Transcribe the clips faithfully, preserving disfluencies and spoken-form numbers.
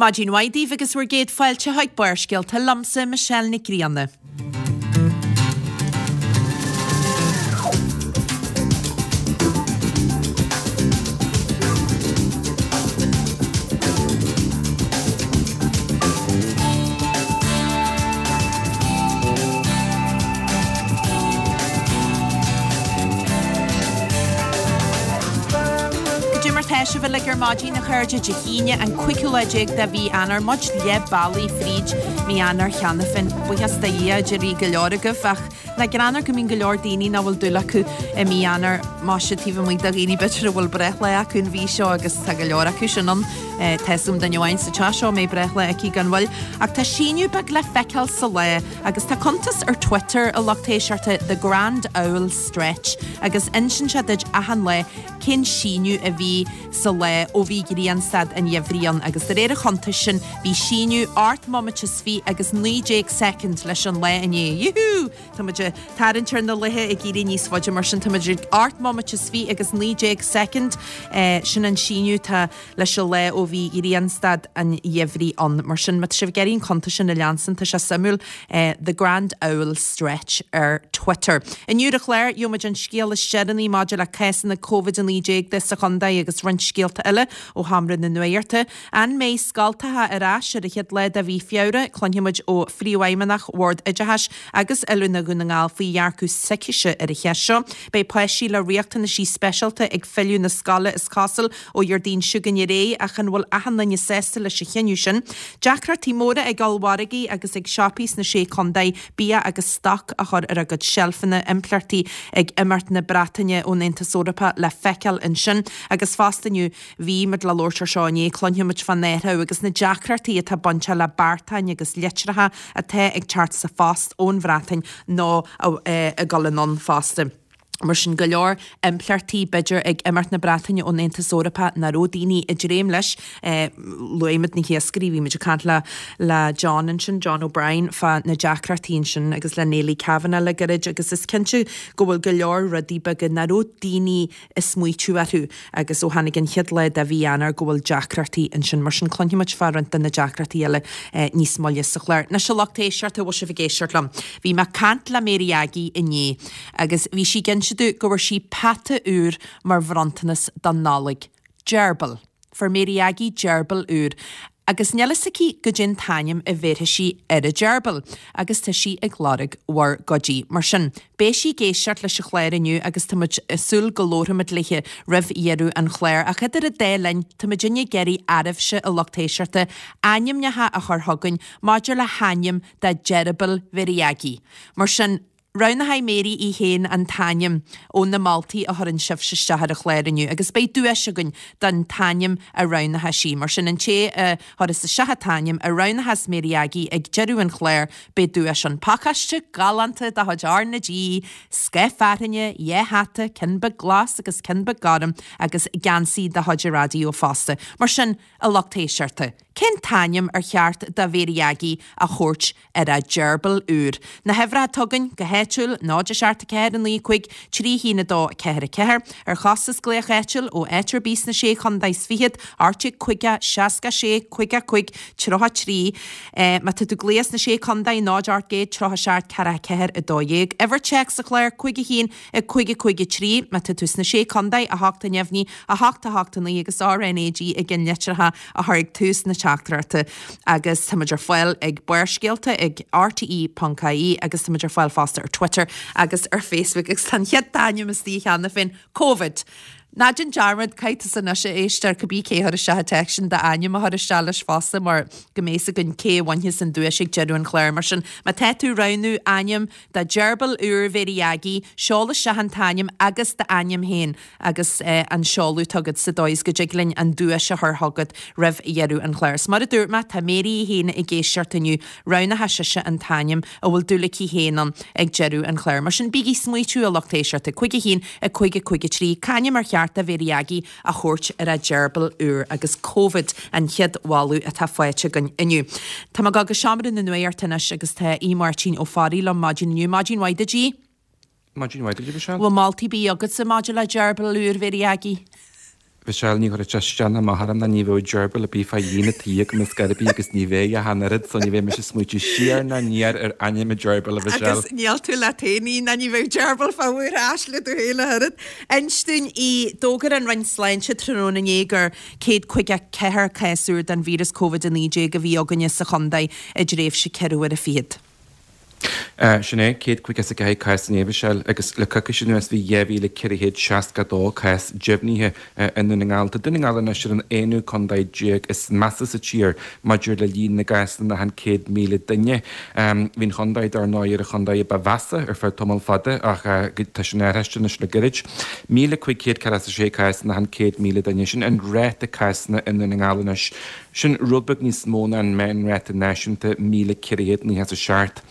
Maidin mhaith daoibh agus bhur gcéad fáilte chuig Barrscéalta liomsa Michelle Nic Grianna. Goidé mar tá sibh uilig ar maidin a chairde Dé hAoine an cúigiú lá déag de mhí Eanáir, muid leath bealaigh fríd mí Eanáir cheana féin. Buíochas do Dhia a déarfaidh go leor agaibh ach nach greannmhar go mbíonn go leor daoine nach bhfuil dúil acu i mí Eanáir más ea taobh amuigh de dhaoine b'fhéidir a bhfuil breithlá acu an mhí seo agus tá go leor acu sin ann. Tá 'fhios a'm duine amháin sa teach seo a mbeidh breithlá aici gan mhoill. Ach tá síneadh beag le feiceáil sa lá agus tá cuntas ar Twitter a lucht éisteachta The Grand Owl Stretch agus insíonn sé duit achan lá cén síneadh a bhí sa lá ó bhí grianstad an gheimhridh ann agus de réir an chuntais sin bhí síneadh ocht mbomaite is fiche agus naoi déag soicind leis an lá inné. Yúhú! Tá muid ag tarraingt ar na laetha ag éirí níos faide mar sin tá muid ag ocht mbomaite is fiche agus naoi déag soicind. Sin an síneadh atá leis an lá ó bhí grianstad an gheimhridh ann. Mar sin má tá sibh ag iarraidh an cuntas sin a leanstan tá sé suimiúil. The Grand Owl Stretch ar Twitter. Inniu ar an chlár, gheobhaimid an scéal is deireanaí maidir le cásanna Covid a naoi déag de sa chontae agus roinnt scéalta eile ó sheomra na nuachta. An mbeidh scoltacha ar ais ar an chéad lá de mhí Feabhra? Cluinfimid ó Phríomhfheidhmeannach Bhord Oideachais agus Oiliúna Dhún na nGall faoi dhearcadh s'aicise ar an cheist seo. Beidh páistí le riachtanaisí speisialta ag filleadh na scoile is cosúil ó Dhéardaoin seo chugainn ar aghaidh ach an bhfuil achan duine sásta leis an chinneadh sin? Deacrachtaí móra ag ollmhargaí agus ag siopaí sna Sé Chontae bia agus stoc a chur ar a gcuid seilfeanna, impleachtaí ag imeacht na Breataine ón Aontas Eorpach le feiceáil ansin. Agus fosta inniu, bhí muid le labhairt ar seo inné, cluinfimid fán athrú agus na deacrachtaí atá bainteach le beartáin agus litreacha atá ag teacht sa phost ón Bhreatain nó ag dul anonn fosta. Mar sin, go leor impleachtaí, b'fhéidir, ag imeacht na Breataine ón Aontas Eorpach nach raibh daoine ag dréim leis. Luaigh muid na hiascairí, bhí muid ag caint le le John ansin, John O'Brien, fá na deacrachtaí ansin agus le Neily Kavanagh le gairid agus is cinnte go bhfuil go leor rudaí beaga nach raibh daoine ag smaoitiú orthu agus ó tháinig an chéad lá de mhí Eanáir go bhfuil deacrachtaí ansin. Mar sin, cluinfidh muid fá roinnt de na deacrachtaí eile níos moille sa chlár. Anois a lucht éisteachta, bhfuil sibh ag éisteacht liom? Bhí mé ag caint le Mary Aggie inné agus bhí sí ag inse domh go bhfuair sí peata úr mar bhronntanas don Nollaig. Gerbil. Fuair Mary Aggie gerbil úr agus níl fhios aici goidé an t-ainm a bhéarfaidh sí ar an gerbil agus tá sí ag lorg bhur gcuidí. Mar sin, beidh sí ag éisteacht leis an chlár inniu agus tá muid ag súil go labharfaimid léi roimh dheireadh an chláir. Ach idir an dá linn, tá muidinne ag iarraidh oraibhse, a lucht éisteachta, ainmneacha a chur chugainn maidir le hainm do gheirbil Mhary Aggie. Mar sin, Roghnóidh Mary í féin an t-ainm ó na moltaí a chuireann sibhse isteach ar an chlár inniu agus beidh duais againn don t-ainm a roghnóidh sí. Mar sin, an té a chuirfeas isteach an t-ainm a roghnóchas Mary Aggie ag deireadh an chláir, beidh duais ann. Pacáiste galánta de chuid R na G, scaif fearthainne, dhá hata, ceann beag glas agus ceann beag gorm, agus geansaí de chuid an raidió fosta. Mar sin, a lucht éisteachta, cén t-ainm ar cheart do Mhary Aggie a thabhairt ar a gerbil úr. Na huimhreacha atá againn go háitiúil, náid a seacht a ceathair a naoi cúig trí haon a dó a ceathair a ceathair, ar chostas glaoch áitiúil ó áit ar bith sna Sé Chontae is Fichead, ocht déag caoga seasca sé caoga cúig tríocha trí. Má tá tú ag glaoch sna Sé Chontae, náid ocht gcéad tríocha seacht ceathracha ceathair a dó dhéag. Uimhir téacs sa chlár, cúig a haon a cúig a cúig a trí. Má tá tú sna Sé Chontae, a hocht a neamhní, a hocht a hocht a naoi agus R N A G ag an litreacha a chur ag tús na teachtaireachta agus tá muid ar fáil ag Barrscéalta ag R T E ponc I E agus tá muid ar fáil fosta ar Twitter agus ar Facebook agus tá an chéad ainm istigh cheana féin, Covid. Ná déan dearmad, caithfidh tusa anois a éisteoir, cibé cé a chuir isteach an téacs sin, d'ainm a chur isteach leis fosta mar go mbeidh fhios againn cé a bhainfeas an duais ag deireadh an chláir. Mar sin, má tá tú ag roghnú ainm do gheirbil úr Mhary Aggie, seol isteach an t-ainm agus d'ainm féin. agus an seoladh atá agat sa dóigh is go dtig linn an duais a chur chugat roimh dheireadh an chláir. Is mar a dúirt mé, tá Mary í féin ag éisteacht inniu, roghnóidh sise an t-ainm a bhfuil dúil aici féin ann ag deireadh an chláir. Mar sin, bígí ag smaoitiú, a lucht éisteachta, cúig a haon, a cúig a cúig a trí, c'ainm ar cheart do Mhary Aggie a thabhairt ar a gerbil úr agus Covid an chéad mholadh atá faighte againn inniu. Tá mé ag dul go seomra na nuachta anois agus tá Aodh Máirtín Ó Fearraigh liom maidin inniu. Maidin mhaith duit, Aodh. Maidin mhaith duit, a Mhichelle. Bhfuil moltaí ar bith agatsa maidir le gerbil úr Mhary Aggie? Michelle ní chuirfeadh sé isteach ná amach orm ná ní bheadh gerbil ar bith fá dhíon an tí agam ar scor ar bith agus ní bheidh ach an oiread so ní bheidh mise ag smaoitiú siar ná aniar ar ainm an gerbil a Mhichelle. Agus níl tú leat fhéin ná ní bheadh gerbil fá bhur ais le do chéile oiread. Inis dúinn í d'fhógair an Roinn Sláinte tráthnóna inné gur céad caoga ceathair cás úr den víreas Covid a naoi déag a bhí againne sa chontae i dtréimhse ceithre huaire fichead. Sin é, céad caoga is a ceathair cás inné, a Mhichelle, agus le coicís anuas bhí dhá mhíle ceithre chéad seasca a dó cás deimhnithe i nDún na nGall. Tá Dún na nGall anois ar an aonú contae déag is measa sa tír maidir le líon na gcásanna achan céad míle duine. Bhí an chontae dar ndóigh ar an chontae a ba mheasa ar feadh tamall fada ach tá sin athraithe anois le gairid. míle cúig chéad ceathracha a sé cás in achan céad míle duine, sin an ráta cásanna i Ndún na nGall anois. Sin rud beag níos mó ná an meánráta náisiúnta, míle ceithre chéad nócha is a seacht.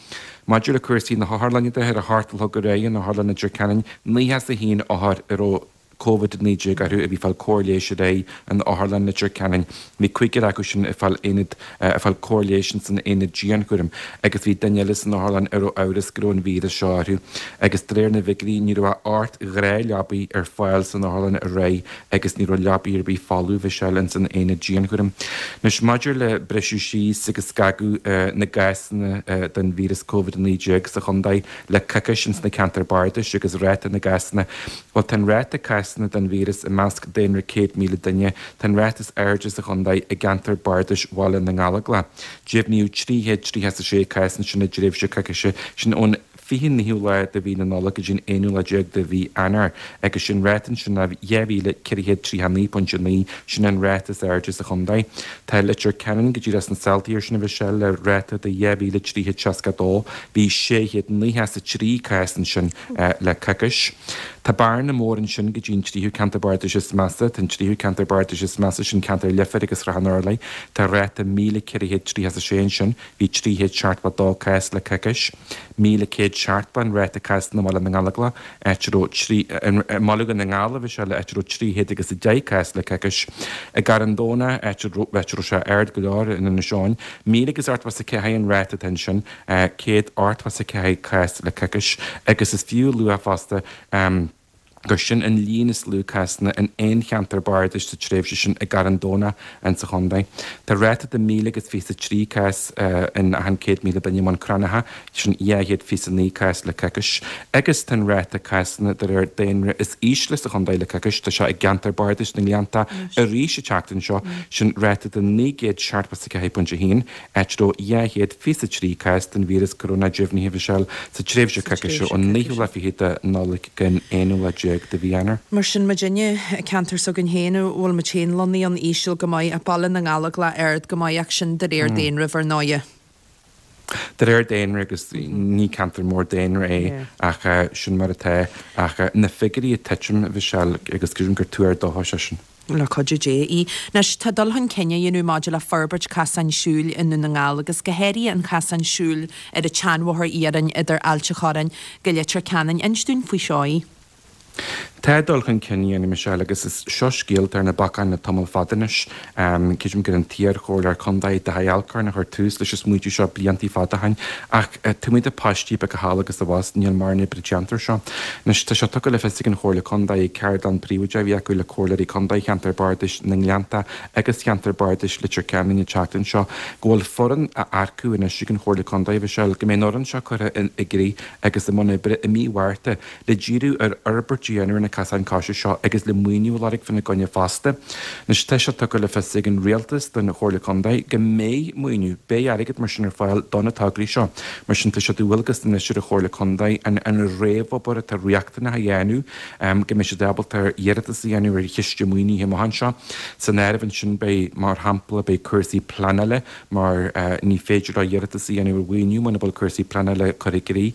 Maidir le cúrsaí na hotharlainne de, ar a hocht a chlog aréir in Otharlann Leitir Ceanainn, nócha is a haon othar a raibh Covid a naoi déag orthu a bhí ag fáil cóir leighis aréir in Otharlann Leitir Ceanainn. Bhí cúigear acu sin ag fáil aonad ag fáil cóir leighis ins an aonad dianchúraim agus bhí duine eile san otharlann a raibh amhras go raibh an víreas seo orthu. Agus de réir na bhfigiúirí ní raibh ach ocht ngnáthleabaí ar fáil san otharlann aréir agus ní raibh leabaí ar bith folamh Mhichelle ins an aonad dianchúraim. Anois maidir le briseadh síos agus scagadh na gcásanna den víreas Covid a naoi déag sa chontae le coicís ins na ceantair bardais agus ráta na gcásanna, bhuel tá an ráta cásanna den víreas i measc daonra céad míle duine, tá an ráta is airde sa chontae i gceantar bardais Bhaile na nGallóglach. Deimhníodh trí chéad tríocha is a sé cás ansin i dtréimhse coicíse, sin ón fiche naoú lá de mhí na Nollag go dtí an aonú lá déag de mhí Eanáir, agus sin ráta ansin ná dhá mhíle ceithre chéad tríocha a naoi pointe a naoi, sin an ráta is airde sa chontae. Tá Leitir Ceanainn go díreach sna sáltaí air sin a Mhichelle le ráta de dhá mhíle trí chéad seasca a dó, bhí sé chéad nócha is a trí cás ansin le coicís. Tá bearna mór ansin go dtí an tríú ceantar bardais is measa. Tá an tríú ceantar bardais is measa, sin ceantar Leifir agus Shrath an Urláir. Tá ráta míle ceithre chéad tríocha is a sé ansin, bhí trí chéad seachtó a dó cás le coicís. Míle céad seachtó an ráta cásanna i mBaile na nGallóglach, áit a raibh trí, i mBaile Dhún na nGall a Mhichelle, áit a raibh trí chéad agus a deich cás le coicís. I gCarn Domhnach, áit a raibh, áit a raibh sé ard go leor in Inis Eoghain, míle agus ochtó is a ceathair an ráta atá ansin, céad ochtó is a ceathair cás le coicís. Agus is fiú a lua fosta, gur sin an líon is lú cásanna in aon cheantar bardais sa tréimhse sin i gCarn Domhnach insa chontae. Tá ráta de míle agus fiche is a trí cás in achan céad míle duine i mBun Cranncha, sin dhá chéad fiche is a naoi cás le coicís, agus tá an ráta cásanna de réir daonra is ísle sa chontae le coicís, tá sé i gceantar bardais na nGleanntach arís an tseachtain seo, sin ráta de naoi gcéad seachtó is a ceathair pointe a haon, áit a raibh dhá chéad fiche is a trí cás den víreas corónach deimhnithe, Mhichelle, sa tréimhse coicíse ón naoú lá fichead de Nollaig go aonú lá déag de mhí Eanáir. Mar sin, muidinne, ceantar s'againn féin, a bhfuil muid féin lonnaithe ann íseal go maith, ach Baile na nGallóglach ard go maith ach sin de réir daonraimh ar ndóighe. De réir daonra agus ní ceantar mór daonra é ach sin mar atá. Ach na figiúirí ag titim, a Mhichelle, agus creidim gur tuar dóchais é sin. Le cuidiú Dé í. Anois, tá dul chun cinn á dhéanamh maidir le forbairt casáin siúil i nDún na nGall agus go háirithe an chasán siúil ar an tseanbhóthar iarainn idir Ailt an Chorráin go Leitir Ceanainn. Inis dúinn faoi seo í. Tá dul chun cinn á dhéanamh, Michelle, agus is seo scéal atá ar na bacáin le tamall fada anois. Creidim gur an t-iar-chomhairleoir contae, Daithí Alcorn, a chuir tús leis an smaointiú seo bliantaí fada ó shin. Ach taobh amuigh de pháistí beaga thall agus abhus, níl mórán oibre déanta air seo. Anois, tá sé tugtha le fios ag an Chomhairle Contae ag ceardlann príobháideach a bhí acu le comhairleoirí contae cheantar bardais na nGleannta agus cheantar bardais Leitir Ceanainn an tseachtain seo go bhfuil foireann á earcú anois ag an Chomhairle Contae, a Mhichelle, go mbeidh an fhoireann seo curtha i gcrích agus i mbun oibre i mí Mhárta le díriú ar fhorbairt a dhéanamh ar na casáin coise seo agus le maoiniú a lorg fána gcoinne fosta. Anois tá sé tugtha le fios ag an Rialtas don Chomhairle Contae go mbeidh maoiniú, beidh airgead mar sin ar fáil do na tograí seo. Mar sin tá sé de dhualgas anois ar an Chomhairle Contae an an réamhobair atá riachtanach a dhéanamh go mbeidh siad ábalta iarratas a dhéanamh ar chiste maoinithe amach anseo. San áireamh ansin beidh, mar shampla, beidh cúrsaí pleanála, mar ní féidir leo iarratas a dhéanamh ar mhaoiniú muna bhfuil cúrsaí pleanála curtha i gcrích.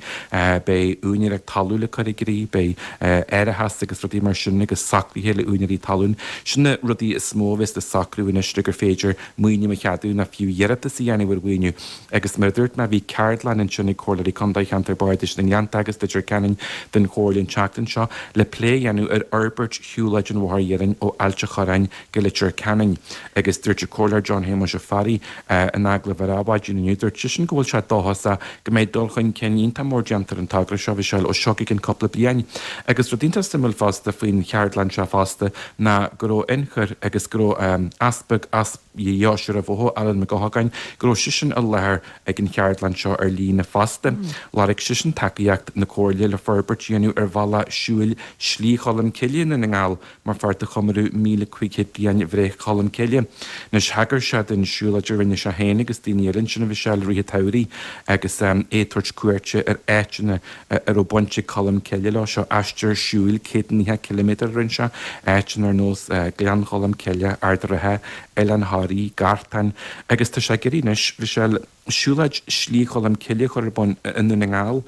Beidh úinéireacht talún le cur i gcrích, beidh árachas agus rudaí mar sin agus socruithe le úinéirí talún. Sin na rudaí is mó a bheas le socrú anois le gur féidir maoiniú a cheadú nó fiú iarratas a dhéanamh ar mhaoiniú. Agus mar a dúirt mé, bhí ceardlann ansin ag Comhairleoirí Contae Cheantar Bardais na nGleannta agus Leitir Ceanainn den Chomhairle an tseachtain seo le plé a dhéanamh ar fhorbairt shiúlóid an Bhóthair Iarainn ó Ailt an Chorráin go Leitir Ceanainn. Agus dúirt an Comhairleoir John Shéamuis Ó Fearraigh in agallamh ar Adhmhaidin inniu, dúirt seisean go bhfuil sé dóchasach go mbeidh dul chun cinn iontach mór déanta ar an togra seo, Mhichelle, ó seo go ceann cúpla bliain. Agus rudaí Rud iontach suimiúil fosta faoin cheardlann seo fosta ná go raibh ionchur agus go raibh easpag as Dheoise Uíbh Eocha, Alan Mac Eochagáin, go raibh seisean i láthair ag an cheardlann seo ar líne fosta. Lorg seisean tacaíocht na Comhairle le forbairt a dhéanamh ar bhealach siúil Slí Cholm Cille i nDún na nGall mar pháirt de chomóradh míle cúig chéad bliain bhreith Cholm Cille. Anois thagair sé don siúlóid a rinne sé féin agus daoine eile ansin a Mhichelle i rith an tsamhraidh agus é ag tabhairt cuairte ar áiteanna a raibh baint ag Colm Cille leo. Seo aistear siúil céad naocha ciliméadar a rinne sé, áiteanna ar nós Gleann Cholm Cille, Ard an Rátha, Oileán Thoraí, Gartán agus tá sé ag iarraidh anois, Mhichelle, siúlóid Slí Cholm Cille a chur ar bun i nDún na nGall,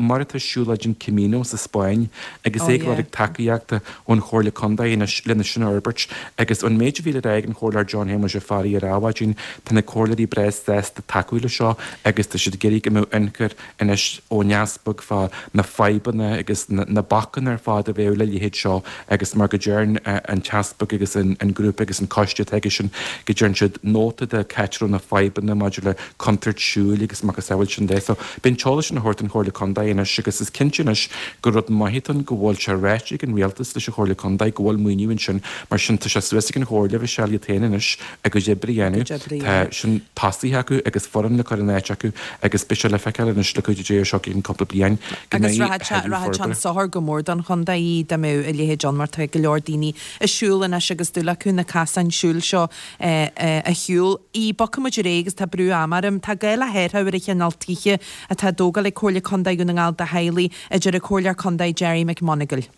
mar atá siúlóid an Camino sa Spáinn, agus é ag lorg tacaíochta ón Chomhairle Contae anois lena sin a fhorbairt. Agus ón méid a bhí le rá ag an Chomhairleoir John Shéamuis Ó Fearraigh ar Adhmhaidin, tá na comhairleoirí breá sásta tacú leis seo agus tá siad ag iarraidh go mbeadh ionchur anois ón Easpag fá na fadhbanna agus na bacanna ar fad a bheadh le leithéid seo agus mar go deireann an tEaspag agus an grúpa agus an coiste atá aigesean go deireann siad nóta de c'áit a raibh na fadhbanna maidir le contúirt siúil agus macasamhail sin de. So beidh an t-eolas sin á thabhairt don Chomhairle Contae anois agus is cinnte anois gur rud maith atá ann go bhfuil sé ráite ag an Rialtas leis an Chomhairle Contae go bhfuil maoiniú ansin mar sin tá sé suas ag an Chomhairle Mhichelle iad féin anois a gcuid oibre a dhéanamh. Tá sin tosaithe acu agus foireann le cur in áit acu agus beidh sé le feiceáil anois le cuidiú Dé ar seo i gceann cúpla bliain go mbeidh a thuilleadh forbartha. Agus rachadh sé chun sochair go mór don chontae dá mbeadh a leithéid ann mar tá go leor daoine ag siúl anois agus dúil acu na casáin siúil seo a shiúl. Aodh, bogfaidh muid ar aghaidh agus tá brú ama orm. Tá gá le hathrú ar an chineál tithe atá á dtógáil ag Comhairle Contae Dhún na nGall do theaghlaigh, a deir an Comhairleoir Contae Gerry McMonagle.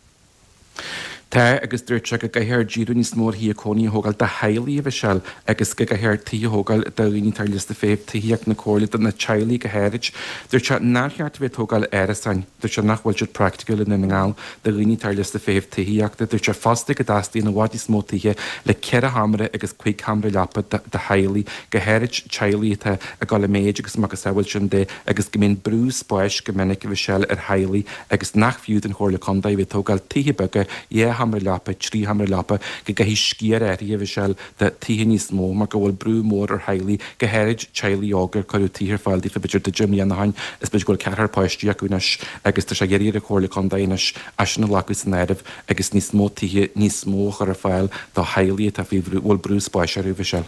Tá, agus dúirt sé go gcaithfear díriú níos mó ar thithe cónaithe a thógáil do theaghlaigh, a Mhichelle, agus go gcaithfear tithe a thógáil do dhaoine atá ar liosta feithimh tithíochta na Comhairle, do na teaghlaigh go háirid. Dúirt sé nár cheart a bheith ag tógáil árasáin, dúirt sé nach bhfuil siad praiticiúil i nDún na nGall do dhaoine atá ar liosta feithimh tithíochta. Dúirt sé fosta go dteastaíonn i bhfad níos mó tithe le ceithre sheomra agus cúig sheomra leapa do theaghlaigh, go háirid teaghlaigh atá ag dul i méid agus macasamhail sin de, agus go mbíonn brú spáis go minic, a Mhichelle, ar theaghlaigh agus nach fiú don Chomhairle Contae a bheith ag tógáil tithe beaga, dhá sheomra leapa, trí sheomra leapa, go gcaithfidh sciar áirithe, a Mhichelle, de tithe níos mó mar go bhfuil brú mór ar theaghlaigh, go háirid teaghlaigh óga ar cuireadh tithe ar fáil daofa b'fhéidir deich mbliana ó shin is b'fhéidir go bhfuil ceathrar páistí acu anois agus tá sé ag iarraidh ar an Chomhairle Contae anois é sin a ghlacadh san áireamh agus níos mó tithe níos mó a chur ar fáil do theaghlaigh atá faoi bhrú, bhfuil brú spáis orthu, a Mhichelle.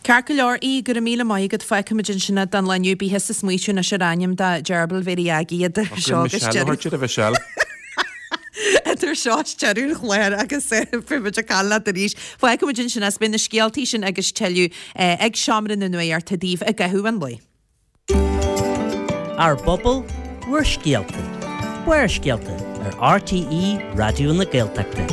Ceart go leor, Aodh, go raibh míle maith agat, fágfaimid ansin é don lá inniu, bí thusa ag smaoitiú anois ar ainm do gheirbil Mhéirí Aggie idir seo agus deireadh. A Mhichelle. Idir seo is deireadh an chláir agus beidh muid ag caint leat arís. Fágfaimid ansin é is beidh na scéaltaí sin agus tuilleadh ag Seomra na Nuachta daoibh i gcaitheamh an lae. Ár bpobal, bhur scéalta. Barrscéalta ar RTÉ Raidió na Gaeltachta.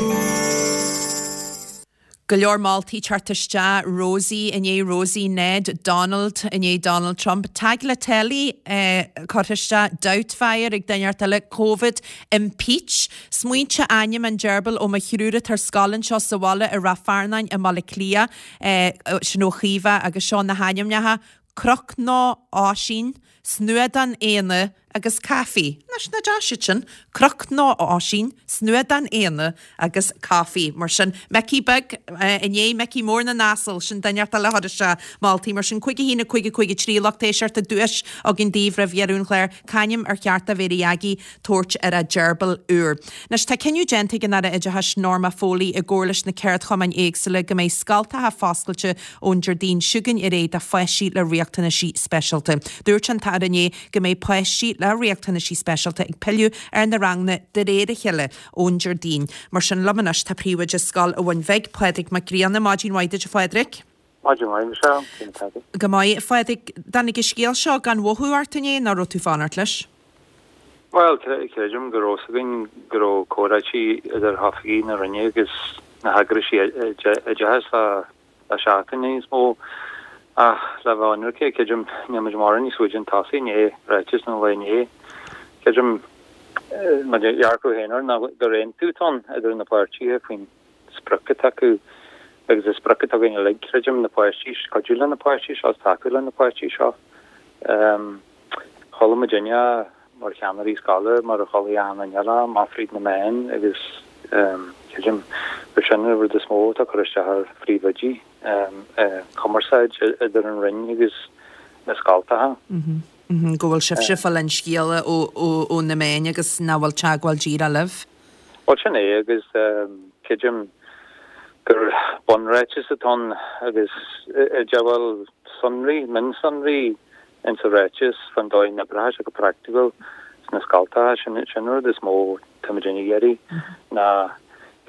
Go leor moltaí ag teacht isteach, Rosie i ndiaidh Rosie, Ned, Donald i ndiaidh Donald Trump, Tagliatelle curtha isteach, Doubtfire ag duine inteacht eile, Covid, Impeach, smaointe ainm an gerbil ó mo thriúr atá ar scoil anseo sa bhaile i Rath Fearnáin i mBaile Átha Cliath, sin ó Chaoimhe agus seo na hainmneacha, Croc nó Oisín, Snuadán Éanna agus Coffee. Anois, nach deas iad sin? Croc nó Oisín, Snuadán Éanna agus Coffee. Mar sin, Micí Beag i ndiaidh Micí Mór na nAsal, sin duine inteacht eile a chuir isteach moltaí. Mar sin, cúig a haon, a cúig, a cúig a trí, lucht éisteachta, duais againn daoibh roimh dheireadh an chláir. C'ainm ar cheart do Mhéirí Aggie tabhairt ar a gerbil úr? Anois, tá cinneadh déanta ag an Aire Oideachais Norma Foley i gcomhar leis na ceardchumainn éagsúla go mbeidh scoltacha foscailte ón Déardaoin seo chugainn ar aghaidh do pháistí le riachtanaisí speisialta. Dúirt an tAire inné go mbeidh páistí le riachtanaisí speisialta ag pilleadh ar na ranganna de réir a chéile ón Déardaoin. Mar sin, liom anois tá príomhoide Scoil an Bhun Bhig, Pádraig Mac Grianna. Maidin mhaith duit a Phádraig. Maidin mhaith, Michelle. Cén chaoi? Go maith, a Phádraig. Dtáinig an scéal seo gan mhothú ort inné nó raibh tú fanacht leis? Bhuel, creidim go raibh fhios againn go raibh comhráití idir oifigigh na Roinne agus na heagraisí oideachais le seachtain nó níos mó. Ach le bheith ionraice, creidim, níl muid mórán níos faide chun tosaigh i ndiaidh ráiteas an lae inné. Creidim, mo dhearcadh féin air ná gur aontú atá ann idir na páirtithe faoin sprioc atá acu agus an sprioc atá againn uilig, creidim, na páistí, cuidiú le na páistí seo, tacú le na páistí seo. Chuala muid inné mar cheannairí scoile, mar a chuala achan duine eile, amach fríd na meáin agus creidim gur sin an rud is mó atá ag cur isteach ar phríomhoidí, cumarsáid idir an Roinn agus na scoltacha. Go bhfuil sibhse ag fáil an scéala ó na meáin agus nach bhfuil teagmháil díreach libh. Bhuel sin é agus creidim gur bunráiteas atá ann agus bhfuil sonraí, mionsonraí insa ráiteas fan dóigh a n-oibreoidh sé go praiticiúil sna scoltacha, sin an rud is mó tá muid ag iarraidh ná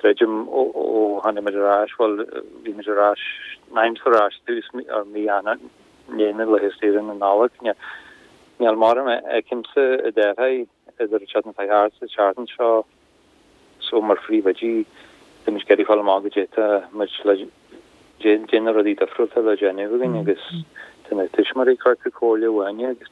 creidim ó tháinig muid ar ais, bhuel bhí muid ar ais, aimsir ar ais tús mí Eanáir, i ndiaidh na laetha saoire na Nollag, níl mórán a fheicimse a d'athraigh idir an tseachtain seo thart is an tseachtain seo so mar phríomhoidí tá muid ag iarraidh fáil amach goidé tá muid le goidé na rudaí difriúlta le déanamh againn agus tá na tuismitheoirí ag cuartú comhairle uainne agus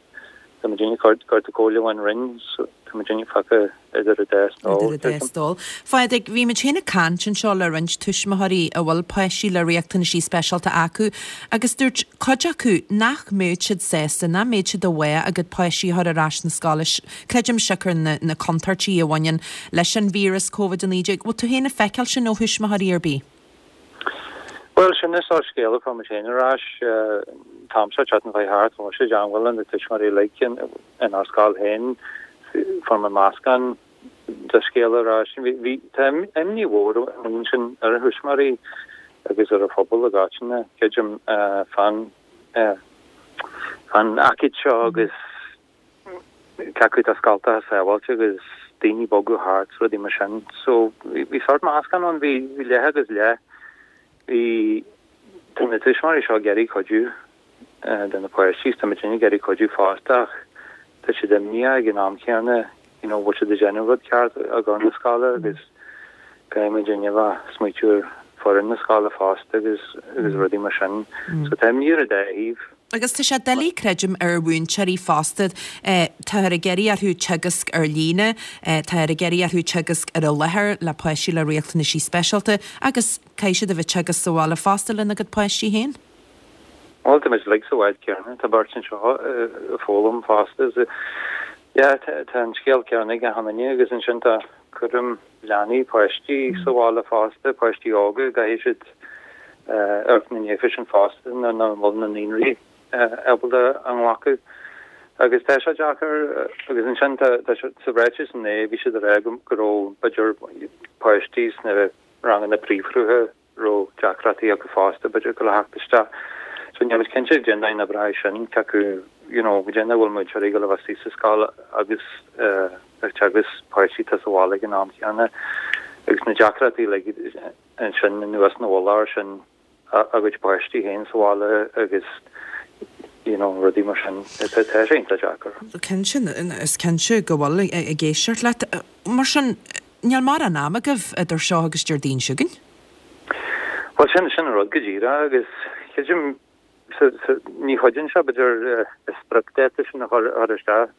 tá muid ag cuartú comhairle ón Roinn so tá muid fágtha idir an dá stól. Idir an dá stól. Phádraig, bhí muid féin ag caint anseo le roinnt tuismitheoirí a bhfuil páistí le riachtanaisí speisialta acu agus dúirt cuid acu nach mbeadh siad sásta, nach mbeadh siad i bhfách a gcuid páistí a chur ar ais na scoile, creidim siocair na na contúirtí a bhaineann leis an víreas Covid a naoi déag. Bhfuil tú féin ag feiceáil sin ó thuismitheoirí ar bith? Bhuel, sin é sórt scéal a fuair muid féin ar ais an t-am seo, tseachtain chuaigh thart, bhí mise i dteangmháil le na tuismitheoirí uilig inár scoil féin, fuair mé meascán de scéal ar ais. Bhí, tá imní mhór ansin ar a thuismitheoirí agus ar an phobal i gcoitinne, creidim, fán fán aicíd seo agus cé acu tá scoltacha sábháilte agus daoine ag bogadh thart, rudaí mar sin. So bhí sórt meascán ann, bhí leath agus leath. Bhí, tá na tuismitheoirí seo ag iarraidh cuidiú de na páistí, tá muid ag iarraidh cuidiú fosta ach tá siad imníoch ag an am céanna, you know, bhfuil siad ag déanamh rud ceart i gcomhair na scoile agus caithfidh muid a bheith ag smaoitiú ar foireann na scoile fosta agus agus rudaí mar sin. So tá imní ar an dá thaobh. Agus tá sé doiligh, creidim, ar mhúinteoirí fosta. Táthar ag iarraidh orthu teagasc ar líne, táthar ag iarraidh orthu teagasc ar an láthair le páistí le riachtanaisí speisialta agus caithfidh siad a bheith ag teagasc sa bhaile fosta lena gcuid páistí féin. Bhuel, tá muid uilig sa bhád céanna, tá beirt anseo ag foghlaim fosta. Yeah, tá an scéal céanna ag achan duine agus ansin tá cúram leanaí, páistí sa bhaile fosta, páistí óga, caithfidh siad amharc ina ndiaidh sin fosta nuair nach bhfuil na naíonraí ábalta a nglacadh. Agus tá sé deacair agus ansin tá sa ráiteas inné bhí siad ag rá go raibh b'fhéidir páistí sna ranganna príomhshrutha raibh deacrachtaí acu fosta b'fhéidir go le theacht isteach. So níl muid cinnte cén dóigh a n-oibreoidh sin cé acu you know cén dóigh a bhfuil múinteoirí ag dul a bheith istigh sa scoil agus ag teagasc páistí atá sa bhaile ag an am céanna agus na deacrachtaí uilig ansin anuas ina mhullach air sin a gcuid páistí féin sa bhaile agus you know rudaí mar sin. Tá sé iontach deacair. Cinnte, is cinnte go bhfuil ag éisteacht leat. Mar sin, níl mórán ama agaibh idir seo agus Déardaoin seo chugainn? Bhuel sin sin an rud go díreach agus creidim ní chuidíonn sé b'fhéidir an spriocdháta sin a chur chur isteach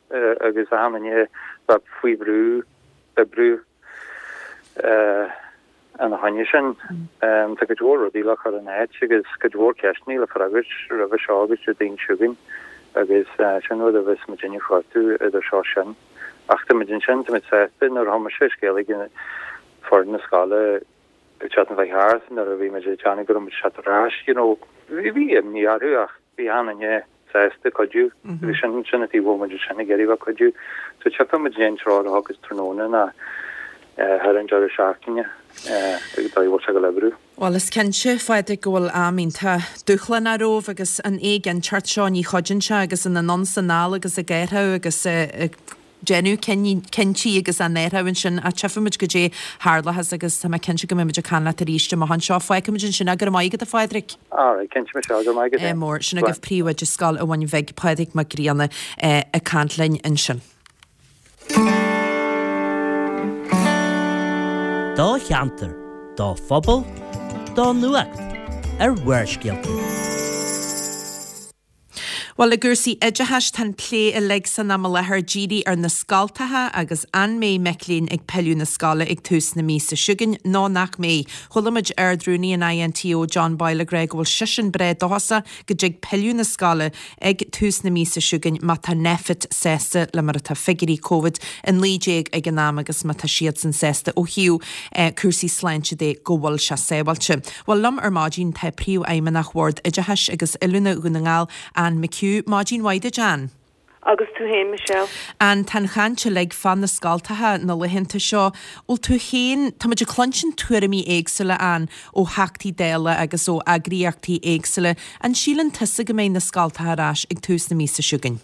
agus achan duine bheith faoi bhrú oibriú Ina choinne sin, tá cuid mhór rudaí le cur in áit agus cuid mhór ceisteanna le freagairt roimhe seo agus Déardaoin seo chugainn agus sin rud a bheas muidinne ag cuartú idir seo sin. Ach tá muid ansin, tá muid sásta nuair a chuir mise scéal chuig foireann na scoile an tseachtain seo chuaigh thart nuair a bhí muid ag déanamh go raibh muid ag teacht ar ais, you know, bhí imní orthu ach bhí achan duine sásta cuidiú agus sin sin an taobh a bhfuil muid ansin ag iarraidh bheith cuidiú. So tchífidh muid cén treoir a thiocfas tráthnóna ná thar an deireadh seachtaine an dóigh a bhfuil sé ag dul oibriú. Bhuel is cinnte, a Phádraig, go bhfuil am iontach dúshlánach romhaibh agus an éiginnteacht seo ní chuidíonn sé agus an anonn 's anall agus ag athrú agus ag déanamh cinntí agus á n-athrú ansin ach tchífimid goidé tharlóchas agus tá mé cinnte go mbeidh muid ag caint leat arís amach anseo. Fágfaimid ansin é. Go raibh maith agat a Phádraig. Alright, cinnte Michelle, go raibh maith agat. Ádh mór. Sin agaibh Príomhoide Scoil an Bhun Bhig, Pádraig Mac Grianna ag caint linn ansin. Do cheantar, do phobal, do nuacht ar Bharrscéalta. Bhuel, i gcúrsaí oideachais, tá an plé uilig san am i láthair dírithe ar na scoltacha agus an mbeidh mic léinn ag pilleadh na scoile ag tús na míosa seo chugainn nó nach mbeidh. Chuala muid Ard-Rúnaí an INTO, John Boyle ag rá go bhfuil seisean breá dóchasach go dtig pilleadh na scoile ag tús na míosa seo chugainn má tá Nphet sásta le mar atá figiúirí Covid a naoi déag ag an am agus má tá siadsan sásta ó thaobh cúrsaí sláinte de go bhfuil sé sábháilte. Bhuel, liom ar maidin tá Príomhfheidhmeannach Bhord Oideachais agus Oiliúna Dhún na nGall, Anne McHugh. Maidin mhaith duit, Anne. Agus tú féin, Michelle? Ann, tá an chaint uilig fá na scoltacha na laethanta seo. Bhfuil tú féin, tá muid ag cluinstin tuairimí éagsúla ann ó Theachtaí Dála agus ó eagraíochtaí éagsúla. An síleann tusa go mbeidh na scoltacha ar ais ag tús na míosa seo chugainn?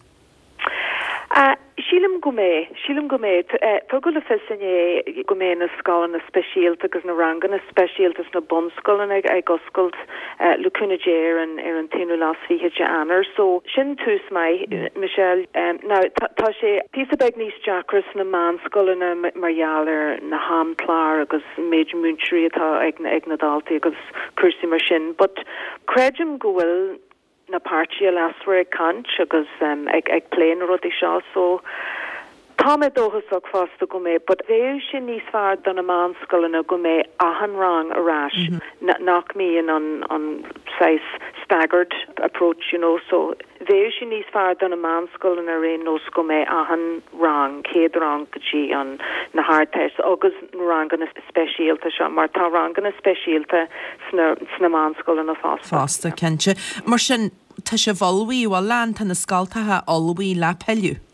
Sílim go mbeidh, sílim go mbeidh. Tugadh le fios inné go mbeidh na scoileanna speisialta agus na ranganna speisialta sna bunscoileanna ag oscailt le cúnamh Dé ar an ar an t-aonú lá is fiche de Eanáir. So sin tús maith, Michelle. Now tá sé píosa beag níos deacra sna meánscoileanna mar gheall ar na hamchláir agus an méid múinteoirí atá ag ag na daltaí agus cúrsaí mar sin. But creidim go bhfuil na páirtithe leasmhara ag caint agus ag ag plé na rudaí seo so tá mé dóchasach fosta go mbeidh but bheadh sé níos fearr do na meánscoileanna go mbeidh achan rang ar ais nach mbíonn an an saghas staggered approach you know so bheadh sé níos fearr do na meánscoileanna ar aon nós go mbeidh achan rang céad rang go dtí an na hArdteist agus na ranganna speisialta seo mar tá ranganna speisialta sna sna meánscoileanna fosta. Fosta, cinnte. Mar sin, tá sibh ullmhaithe, bhfuil Ann, tá na scoltacha ullmhaithe le pilleadh?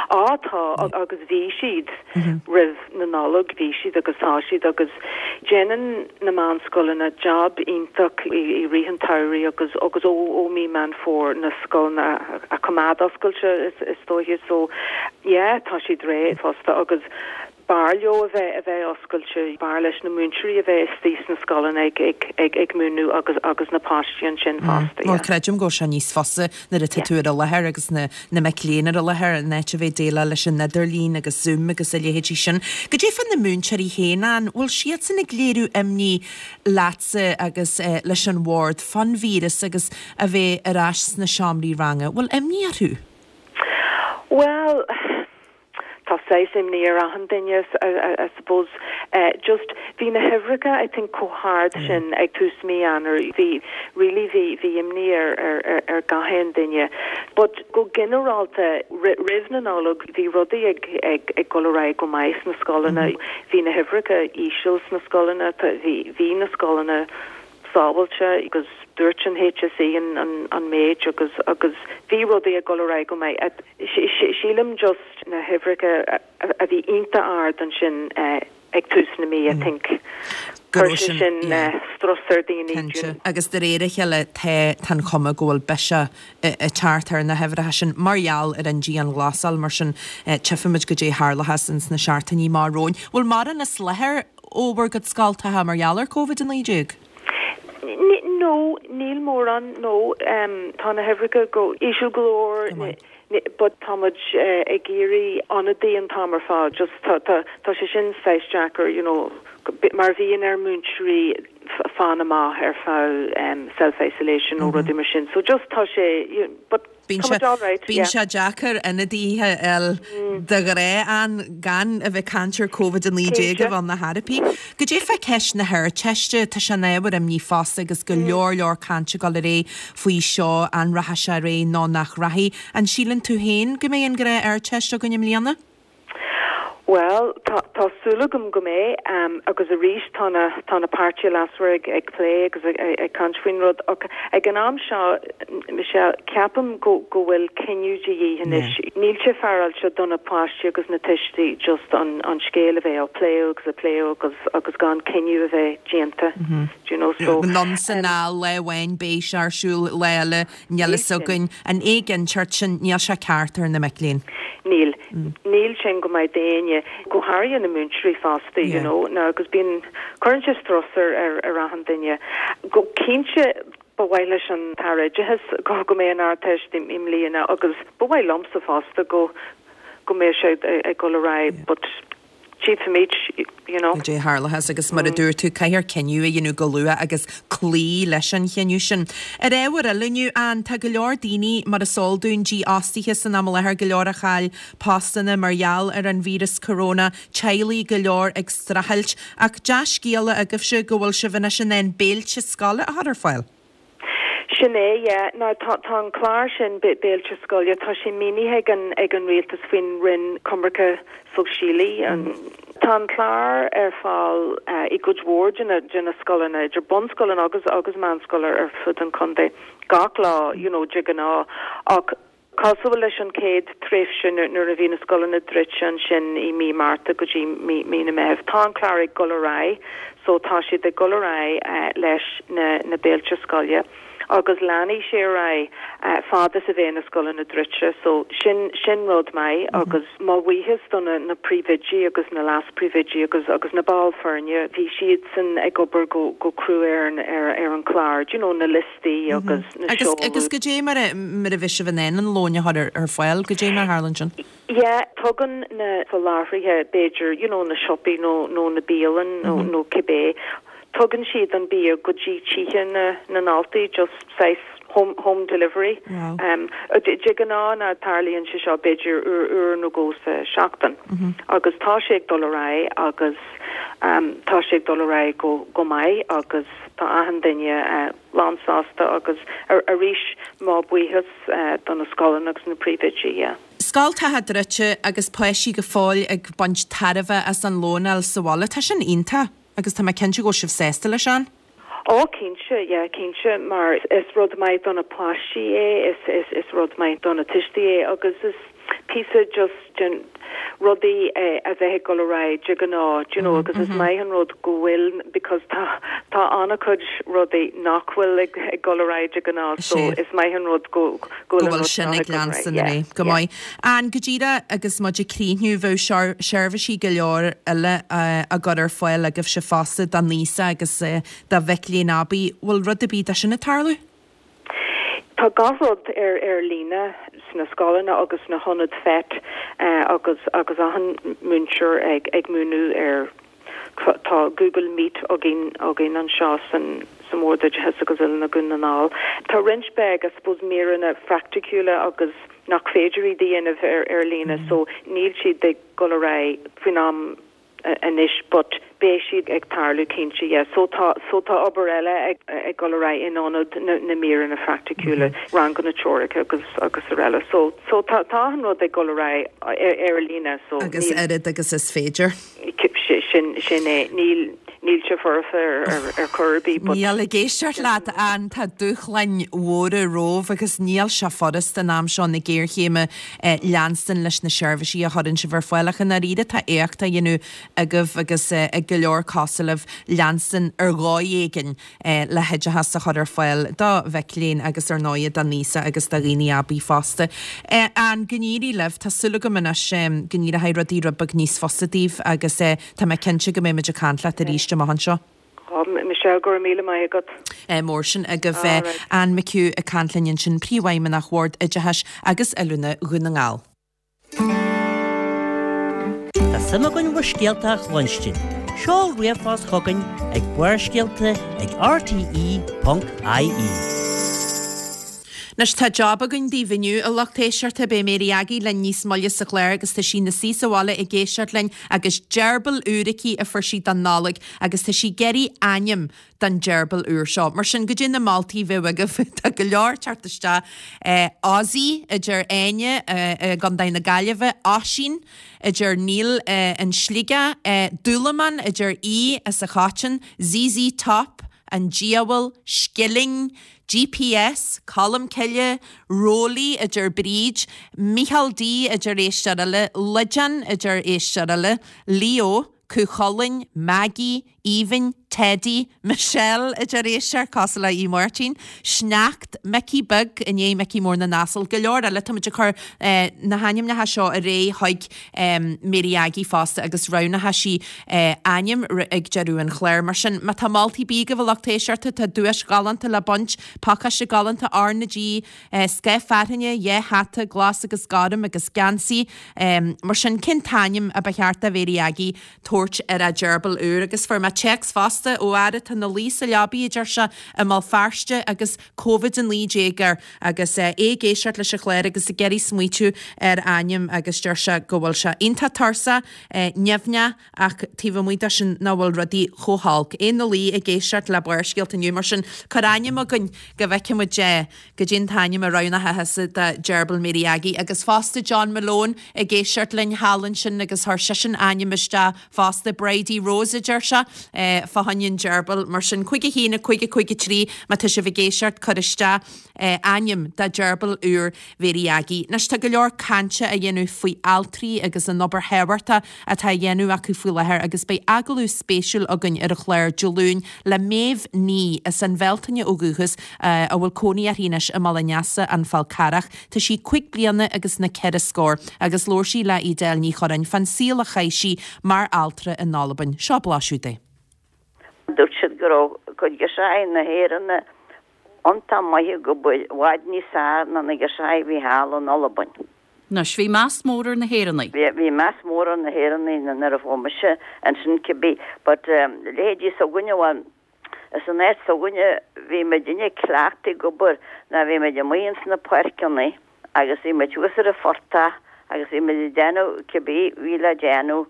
Á tá agus bhí siad roimh na Nollag, bhí siad agus tá siad agus déanann na meánscoileanna jab iontach i rith an tsamhraidh agus agus ó ó mí Meán Fómhair na scoileanna a choimeád oscailte is is dóiche so yeah tá siad réidh fosta agus b'fhearr leo a bheith a bheith oscailte, b'fhearr leis na múinteoirí a bheith istigh sna scoileanna ag ag ag ag múineadh agus agus na páistí ansin fosta, Bhuel yeah. creidim go bhfuil sé níos fusa nuair atá tú ar an láthair agus na na mic léinn ar an láthair in áit a bheith ag déileáil leis an idirlíon agus Zoom agus a leithéidí sin. Goidé fá na múinteoirí féin Ann, bhfuil siadsan ag léiriú imní leatsa agus eh, leis an bhord fán víreas agus a bheith ar ais sna seomraí ranga, bhfuil imní orthu? Well, tá saghas imní ar achan duine I suppose uh, just bhí na huimhreacha I think chomh hard sin ag tús mí Eanáir bhí really bhí bhí imní ar ar ar, ar gach aon duine but go ginearálta roimh na Nollag bhí rudaí ag ag ag dul ar aghaidh go maith sna scoileanna bhí na huimhreacha íseal sna scoileanna bhí bhí na scoileanna sábháilte agus dúirt an HSE an an, an méid agus agus bhí rudaí ag dul ar aghaidh go maith sílim just na huimhreacha a bhí iontach ard ansin uh, ag tús na mí I think. Go sin sin uh, strus ar daoine. Agus de réir a chéile tá an chuma go bhfuil biseach ag teacht ar na huimhreacha sin mar gheall ar an dianghlasáil mar sin tchífimid goidé a tharlós ins na seachtainí amach romhainn. Bhfuil mórán as láthair ó bhur gcuid scoltacha mar gheall ar Covid a naoi déag? No, níl mórán no um, tá na huimhreacha go íseal go leor but táimid uh, ag iarraidh ionadaí an t-am ar fad just tá tá tá sé sin saghas deacair you know mar bhíonn ar múinteoirí fanacht amach ar feadh um, self-isolation nó mm -hmm. rudaí mar sin so just tá sé but Bíonn sé deacair ionadaithe a fháil de ghnáth an gan a bheith caint ar Covid a naoi déag a bheith na therapy. Goidé fá ceist na hArdteiste tá sé ina ábhar imní fosta agus go leor leor cainte ag dul ar aghaidh faoi seo an rachaidh sé ar aghaidh nó nach rachaidh. An síleann tú féin go mbeidh an ghnáth-Ardteist againn i mbliana? Well tá tá súil agam go mbeidh um, agus arís tá na tá na páirtithe leasmhara ag, ag plé agus ag, ag, ag caint faoin rud ach ag an am seo Michelle ceapaim go go bhfuil cinneadh de dhíth anois. Níl sé féaráilte do na páistí agus na tuistí just an an scéal a bheith á plé agus a plé agus agus gan cinneadh a bheith déanta. Mm -hmm. Do you know so Anonn is anall lá amháin beidh sé ar siúl lá eile níl a fhios againn an éiginnteacht sin níl sé ceart ar na mic léinn. Níl mm. níl sin go maith d'éinne go háirithe na múinteoirí fosta you know na agus bíonn cuireann sé strus ar ar ar achan duine go cinnte ba mhaith leis an tAire Oideachais go go mbeidh an Ardteist i mbliana agus ba mhaith liomsa fosta go go mbeidh sé ag dul ar aghaidh but tchífimid you know. Goidé a tharlós agus mar a dúirt tú caithfear cinneadh a dhéanamh go luath agus cloí leis an chinneadh sin. Ar ábhar eile inniu Ann tá go leor daoine mar is eol dúinn dífhostaithe san am i láthair go leor a chaill postanna mar gheall ar an víreas corona, teaghlaigh go leor ag streachailt ach dea-scéala agaibhse go bhfuil sibh anois in ann béilte scoile a chur ar fáil. Sin é yeah. Now tá tá an clár sin béilte scoile tá sé maoinithe ag an ag an rialtas faoin Roinn Coimirce Sóisialaí an Tá an clár ar fáil uh, i gcuid mhór de na de na scoileanna idir bunscoileanna agus agus meánscoil ar fud an chontae gach lá you know de ghnáth ach Cosúil leis an chéad tréimhse nuair a bhí na scoileanna druidte ansin i mí Márta go dtí mí mí na Meitheamh. Tá an clár ag dul ar aghaidh so tá siad ag dul ar aghaidh leis na na béilte scoile agus leanfaidh sé ar aghaidh fad is a bheidh na scoileanna druidte so sin sin rud maith agus mo bhuíochas do na na príomhoidí agus na leas-phríomhoidí agus agus na baill foirne bhí siadsan ag obair go go crua ar an ar ar an chlár do you know na liostaí agus na Agus agus goidé mar a mar a bhí sibh in ann an lón a chur ar ar fáil goidé mar a tharlaíonn sin. Yeah, tugann na soláthraithe b'fhéidir you know na siopaí nó nó na bialann nó nó cibé tugann siad an bia go dtí tithe na na ndaltaí just saghas home home delivery. Wow. Um, de de ghnáth ná tarlaíonn sé seo b'fhéidir uair uair nó dhó sa seachtain. Agus tá sé ag dul ar aghaidh agus um, tá sé ag dul ar aghaidh go go maith agus tá achan duine uh, lánsásta agus ar arís mo bhuíochas uh, do na scoileanna agus na príomhoidí, yeah. Scoltacha druidte agus páistí go fóill ag baint tairbhe as an lón sa bhaile tá sin iontach agus tá mé cinnte go bhfuil sibh sásta leis an. Ó cinnte, yeah, cinnte mar is rud maith do na páistí é is is is rud maith do na tuistí é agus is píosa just den rudaí eh, a bheith ag dul ar aghaidh de ghnáth, you know, agus is maith an rud go bhfuil because tá tá an-chuid rudaí nach bhfuil ag ag dul ar aghaidh de ghnáth so Sé. is maith an rud go go go bhfuil an bhfuil rud sin seo ag ag dul ar leanstan aghaidh, é yeah, go yeah. maith. An go díreach agus muid ag críochnú bheadh seirbhísí go leor eile uh, á gcur ar fáil agaibhse fosta don aosach agus uh, do mhic léinn aibí bhfuil rud ar bith de sin ag tarlú? Tá gach rud ar ar líne sna scoileanna agus na hionaid FET uh, agus agus achan múinteoir ag ag múineadh ar tá Google Meet againn againn anseo san sa mBord Oideachais agus Oiliúna Dhún na nGall. Tá roinnt beag I suppose míreanna praiticiúla agus nach féidir iad a dhéanamh ar ar líne so níl siad ag dul ar aghaidh faoin am anois but beidh siad ag tarlú cinnte yeah. so tá so tá obair eile ag ag dul ar aghaidh in ionad na, na míreanna praiticiúla mm -hmm. ranganna teoirice agus agus araile so so tá tá an rud ag dul ar aghaidh ar, ar líne so Agus oiread agus is féidir. sin sin é níl níl sé foirfe ar ar, ar chor ar bith but Níl ag éisteacht leat an tá dúshláin mhóra romhaibh agus níl sé furast an am seo na géarchéime eh, leanstan leis na seirbhísí a chuireann sibh ar fáil ach an oiread tá éacht á dhéanamh agaibh agus eh, ag go leor cosúil libh leanstan ar dhóigh éigin eh, le hoideachas a chur ar fáil do mhic léinn agus ar ndóigh don aosach agus do dhaoine aibí fosta. Eh, an go n-éirí libh tá súil agam anois go n-éireoidh rudaí rud beag níos fusa daoibh agus eh, tá mé cinnte go mbeidh muid ag caint leat arís amach anseo. Oh, Michelle go raibh míle maith agat. Eh, mór sin agaibh bheith Alright. Ann McHugh ag caint linn sin príomhfheidhmeannach Bhord Oideachais agus Oiliúna Dhún na nGall. Tá suim againn bhur scéalta a chluinstin. Seol ríomhphost chugainn ag Barrscéalta ag RTE.ie. Anois tá job againn daoibh inniu a lucht éisteachta beidh Mary Aggie linn níos moille sa chlár agus tá sí ina suí sa bhaile ag éisteacht linn agus gerbil úr aici a fuair sí don Nollaig agus tá sí ag iarraidh ainm don gerbil úr seo. Mar sin goidé na moltaí a bheadh agaibh tá go leor teacht isteach eh, Ozzy a deir Áine eh, i gContae na Gaillimhe, Oisín a deir Neil eh, in Sligeach, eh, Dúlamán a deir í as a Chotin, ZZ Top, an Diabhal, Skilling, GPS, Colm Cille, Rólí a deir Bríd, Michael D a deir éisteoir eile, Lijan a deir éisteoir eile, Leo, Cúchulainn, Maggie, Aoibhinn, Teddy, Michelle a deir éisteoir cosúil le í Martin, Sneacht, Mickey Beag i ndiaidh Mickey Mór na nAsal, go leor eile tá muid ag cur eh, na hainmneacha seo ar aghaidh chuig um, Mary Aggie fosta agus roghnóidh sí eh, ainm ag deireadh an chláir. Mar sin má tá moltaí agaibh a lucht éisteachta tá duais galánta le baint, pacáiste galánta RnaG, eh, sceith fearthainne, dhá hata, glas agus gorm agus geansaí. Um, mar sin cén t-ainm a ba cheart do Mary Aggie tabhairt ar a gerbil úr agus fuair mé téacs fosta ó fhear atá ina luí sa leabaidh a deir sé i mBéal Feirste agus Covid a naoi déag air agus eh, é ag éisteacht leis an chlár agus ag iarraidh smaoitiú ar ainm agus deir sé go bhfuil sé iontach tuirseach eh, nimhneach ach taobh amuigh de sin nach bhfuil rudaí chomh holc. É ina luí ag éisteacht le Barrscéalta inniu mar sin cuir ainm chugainn go bhfeicfimid eh, goidé an t-ainm a roghnóidh tusa do gerbil Mary Aggie agus fosta John Malone ag éisteacht linn thall ansin agus chuir seisean ainm isteach fosta Bridie Rose a deir sé eh, fá choinne choinne an gerbil, mar sin cúig a haon a cúig a cúig a trí má tá sibh ag éisteacht cuir isteach ainm do gerbil úr Mhéirí Aggie. Anois tá go leor cainte á dhéanamh faoi altraí agus an obair thábhachtach atá á dhéanamh acu faoi láthair agus beidh agallamh spéisiúil againn ar an chlár Dé Luain le Méabh Ní as an Bhealtaine ó dhúchas a bhfuil cónaí uirthi anois i mBaile an Easa, An Fál Carrach. Tá sí cúig bliana agus na ceithre scór agus labhair sí le Edel Ní Chorráin fán saol a chaith sí mar altra in Albain. Seo blaiseadh de. Dúirt siad go raibh cuid girseachaí na hÉireann iontach maith ag obair, i bhfad níos fearr ná na girseachaí a bhí thall in Albain. Anois, bhí meas mór ar na hÉireannaigh. Bhí, bhí meas mór ar na hÉireannaigh nuair a fuair mise ansin cibé, but leithéidí s'againne, bhuel, san áit s'againne bhí muidinne cleachtaithe ag obair ná bhí muid amuigh ins na páirceanna agus bhí muid thuas ar an phortach agus bhí muid ag déanamh cibé bhí le déanamh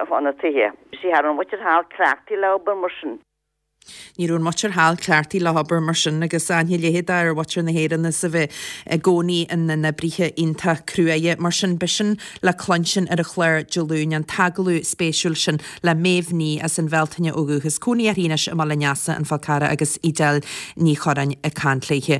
fá na tithe. Sea, cha raibh an mhuintir thall cleachtaithe le obair mar sin. Ní raibh an mhuintir thall cleachtaithe le hobair mar sin agus aithne leithéid ar mhuintir na hÉireann is a bheith i gcónaí ina n-oibrithe iontach cruaidhe. Mar sin, b'shin le cluinstin ar an chlár Dé Luain, an t-agallamh spéisiúil sin le Méabh Ní as an Bhealtaine ó dhúchas, cónaí uirthi anois i mBaile an Easa, An Fál Carrach agus Edel Ní Chorráin ag caint léithe.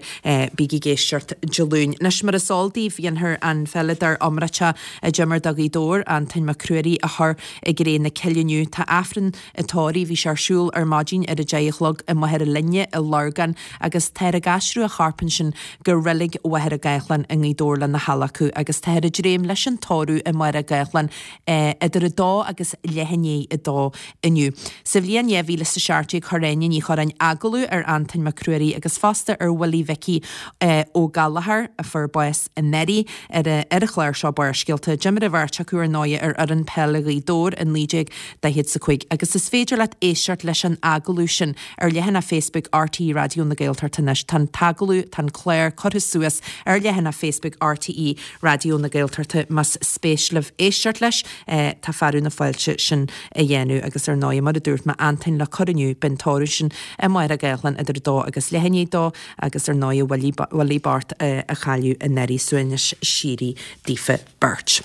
Bígí ag éisteacht Dé Luain. Anois mar is eol daoibh, dhéanfar an pheileadóir iomráiteach a d'imir do Ghaoth Dobhair, Antoin Mac Ruairí, a chur i gcré na cille inniu. Tá Aifreann an tórraimh, bhí sé ar siúl ar maidin ar a deich a chlog i Machaire Linne i Lurgan agus táthar ag aistriú a chorp ansin go Reilig Mhachaire Gathlán i nGaoth Dobhair lena hadhlacadh agus táthar ag dréim leis an tórramh i Machaire Gathlán idir a dó agus leath i ndiaidh a dó inniu. Sa bhliain dhá mhíle is a seacht déag chuir Áine Ní Chorráin agallamh ar Antoin Mac Ruairí agus fosta ar Willie Mhicí Ó Gallchóir a fuair bás anuraidh ar ar an chlár seo Barrscéalta. D'imir an bheirt acu ar ndóigh ar fhoireann peile Ghaoth Dobhair i naoi déag daichead is a cúig agus is féidir leat éisteacht leis an agallamh sin ar leathanach Facebook RTÉ Raidió na Gaeltachta anois. Tá an t-agallamh, tá an clár curtha suas ar leathanach Facebook RTÉ Raidió na Gaeltachta más spéis libh éisteacht leis. Tá fearadh na fáilte sin a dhéanamh agus ar ndóigh mar a dúirt mé Antoin le cur inniu beidh an tórramh sin i Machaire Gathlán idir a dó agus leath i ndiaidh a dó agus ar ndóigh Willie bocht a cailleadh anuraidh suaimhneas síoraí daofa beirt.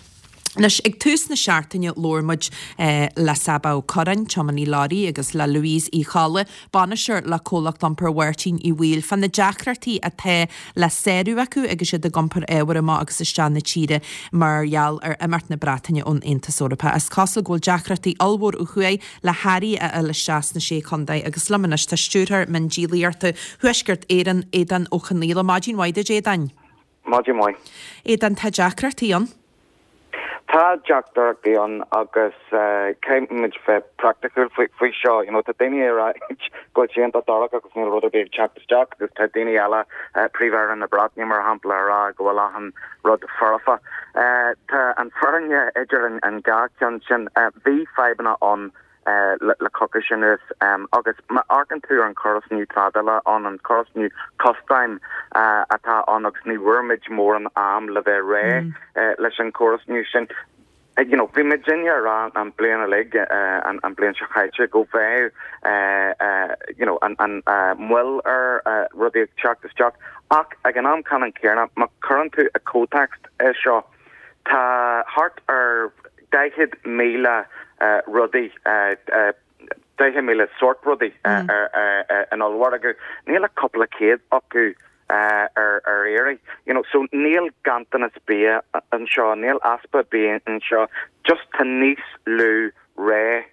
Anois, ag tús na seachtaine labhair muid le Csaba Ó Curráin, tiománaí leoraí, agus le Louise Uí Cholla, bainisteoir le Comhlacht Iompair Mháirtín Uí Bhaoill, fá na deacrachtaí atá le sárú acu agus iad ag iompar ábhair amach agus isteach na tíre mar gheall ar imeacht na Breataine ón Aontas Eorpach. Is cosúil go bhfuil deacrachtaí ollmhór ó thuaidh le hearraí a fháil isteach sna Sé Chontae agus liom anois tá Stiúrthóir Miondíolaíochta Thuaisceart Éireann, Aodán Ó Conaola. Maidin mhaith duit, Aodáin. Maidin mhaith. Aodán, tá deacrachtaí ann. Tá deacrachtaí ann agus caithfidh muid bheith praiticiúil faoi seo. You know, tá daoine ag rá go bhfuil sé iontach dorcha agus níl rud ar bith ag teacht isteach agus tá daoine eile, Príomh-Aire na Breataine mar shampla, ag rá go bhfuil achan rud foirfe. Tá an fhírinne idir an dhá cheann sin. Bhí fadhbanna ann le coicís anuas agus má amharcann tú ar an chóras nua trádála ann, an córas nua custaim atá ann agus ní bhfuair muid mórán am le bheith réidh leis an chóras nua sin. You know, bhí muidinne ag rá an bliain uilig, an bliain seo chaite, go bheadh you know, an, an moill ar rudaí ag teacht isteach ach ag an am ceannann céanna, má chuireann tú i comhthéacs é seo, Tá thart ar daichead míle rudaí, daichead míle sórt rudaí in ollmhargadh. Níl ach cúpla céad acu ar iarraidh. You know, so níl ganntanas bia anseo, níl easpa bia anseo, just tá níos lú rogha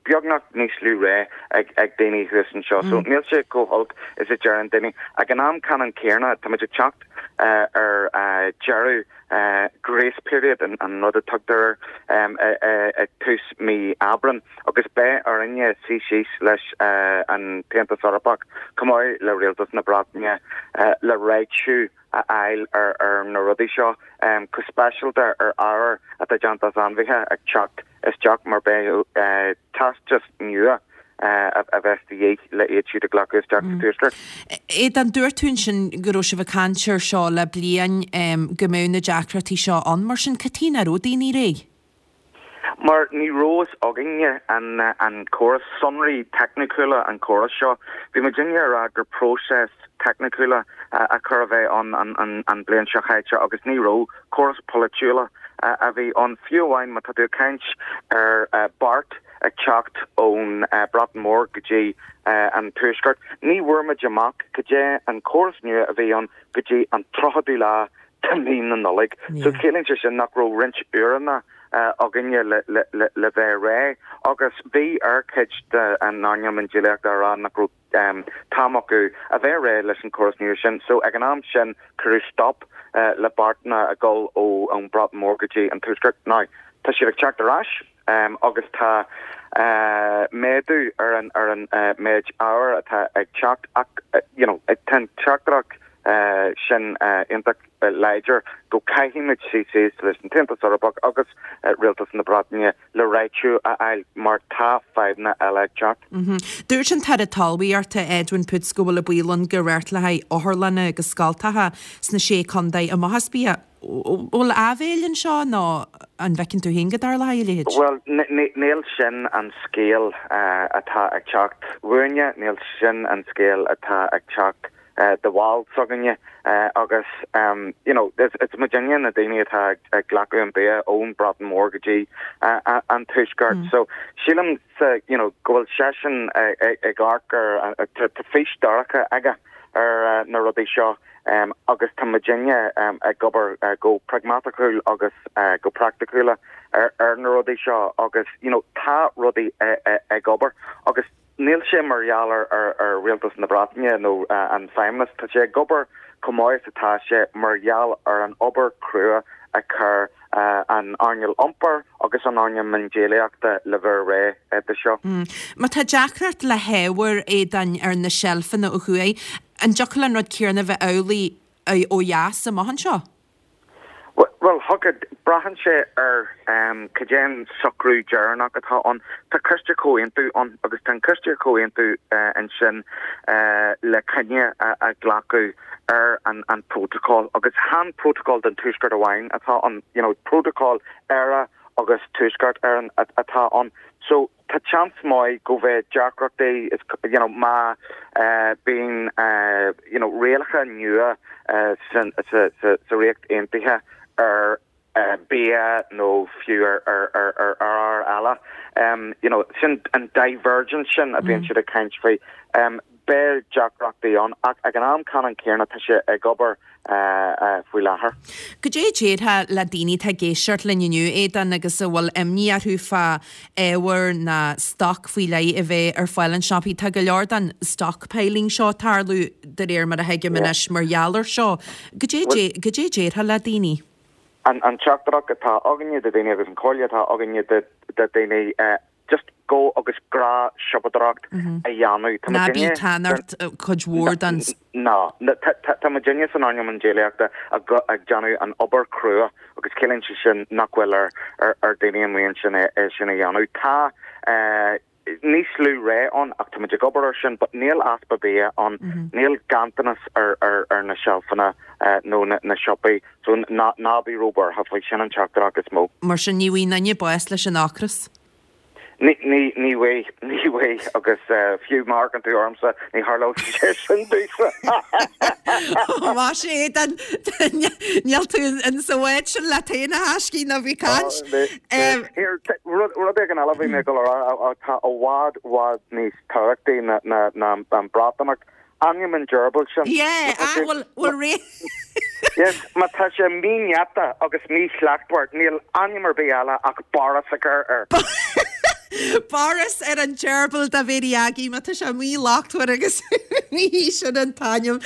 beagnach níos lú rogha ag ag daoine thuas anseo. So níl sé chomh holc is a deireann daoine. Ag an am ceannann céanna, tá muid ag teacht ar deireadh grace period, an rud a tugtar air, ag tús mí Aibreán agus beidh orainne suí síos leis an tAontas Eorpach chomh maith le Rialtas na Breataine le réitiú a fháil ar na rudaí seo, go speisialta ar ábhair atá déanta as ainmhithe ag teacht isteach mar beidh teastas nua a bheas de dhíth le iad siúd a ghlacadh isteach sa Tuaisceart. Aodán, dúirt tú ansin go raibh sibh ag caint air seo le bliain, go mbeadh na deacrachtaí seo ann. Mar sin, cad chuige nach raibh daoine réidh? Mar ní raibh fhios againne an córas, sonraí teicniúla an chórais seo. Bhí muidinne ag rá gur próiseas teicniúla a chur a bheith ann an bliain seo chaite agus ní raibh, córas polaitiúla a bhí ann. Fiú amháin má tá tú ag caint ar beart ag teacht ón Breatain Mhór go dtí an Tuaisceart, ní bhfuair muid amach cad é an córas nua a bhí ann go dtí an tríochadú lá de mhí na Nollag. So ciallaíonn sé sin nach raibh roinnt uaireanna againne le le le le bheith réidh agus bhí ar cuid den earnáil miondíolaíochta a rá nach raibh t-am acu a bheith réidh leis an córas nua sin. So ag an am sin cuireadh stop le beartanna ag dul ón Breatain Mhór go dtí an Tuaisceart. Now tá siad ag teacht ar ais agus tá méadú ar an ar an méid ábhair atá ag teacht ach you know tá an teachtaireacht sin iontach láidir go gcaithfimid suí síos leis an tAontas Eorpach agus Rialtas na Breataine le réitiú a fháil mar tá fadhbanna eile ag teacht. Dúirt an tAire Talmhaíochta Edwin Poots go bhfuil an baol ann go réirtleofaí otharlanna agus scoltacha sna sé contae amach as bia. Bhfuil áibhéil anseo nó an bhfeiceann tú féin go dtarlóidh a leithéid? Bhuel, níl sin an scéal atá ag teacht uainne, níl sin an scéal atá ag teacht do bhaill s'againne agus you know is muidinne na daoine atá ag glacadh an bia ón Breatain Mhór go dtí an Tuaisceart. So sílimse you know go bhfuil seisean ag amharc ar tá fís dorcha aige ar na rudaí seo agus tá muidinne ag obair go pragmatacúil agus go praiticiúil ar na rudaí seo agus you know tá rudaí ag obair agus Níl sé mar gheall ar Rialtas na Breataine nó an Feidhmeannas, tá sé ag obair chomh maith is atá sé mar gheall ar an obair chrua a chuir an earnáil iompair agus an earnáil miondíolaíochta le bheith réidh do seo. Má tá deacracht le hábhair Aodáin ar na seilfeanna ó thuaidh, an dtiocfadh an rud céanna a bheith amhlaidh ó dheas amach anseo? Bhuel, thiocfadh, braitheann sé ar cad é an socrú deireanach atá ann. Tá coiste comhaontú ann agus tá an coiste comhaontú ansin le cinneadh a ghlacadh ar an prótacal agus chan prótacal don Tuaisceart amháin atá ann, you know, prótacal Éire agus Tuaisceart Éireann atá ann. So tá seans maith go bheidh deacrachtaí is you know má bíonn you know rialacha nua sa sa sa Ríocht Aontaithe ar bia nó fiú ar ar ar ar ábhair eile you know sin an divergence sin a bhíonn siad ag caint faoi beidh deacrachtaí ann ach ag an am ceannann céanna tá sé ag obair faoi láthair. Cad é a déarfá le daoine atá ag éisteacht linn inniu, Aodán, agus a bhfuil imní orthu fá ábhar ná stoc faoi leith a bheith ar fáil in siopaí? Tá go leor den stockpiling seo ag tarlú, de réir mar a thuigim anois, mar gheall air seo. Cad é cad é a déarfá le daoine? An teachtaireacht atá againne do dhaoine agus an chomhairle atá againne do dhaoine, just go agus gnáthshiopadóireacht a dhéanamh. Tá Ná bí ag ceannacht cuid mhór den. Ná. Tá muidinne san earnáil miondíolaíochta ag déanamh an obair chrua agus ciallaíonn sé sin nach bhfuil ar ar daoine amuigh ansin é sin a dhéanamh. Tá níos lú rogha ann ach tá muid ag obair ar sin but níl easpa bia ann, níl ganntanas ar ar na seilfeanna nó na siopaí so ná ná bí róbhuartha faoi sin an teachtaireacht is mó. Mar sin ní bhfuigheann éinne bás leis an ocras. Ní, ní, ní bhfuigh, ní bhfuigh, agus fiú má amharcann tú ormsa, ní tharlódh sé sin domhsa. Más é, then, níl tú in sa bhád sin leat féin a thaiscidh ná bí ag caint. Here, rud, rud éigin eile a bhí mé ag dul a rá, atá i bhfad, bhfad níos tábhachtaí ná, ná, ná an Breatimeacht, Ainm an gerbil sin. Yeah, ah, bhfuil, bhfuil ré. Yes, má tá sé mínéata agus míshlachtmhar, níl ainm ar bith eile ach Boris a chur air. Boris ar an gerbil do Mhary Aggie, má tá sé míshlachtmhar agus mí sin an t-ainm.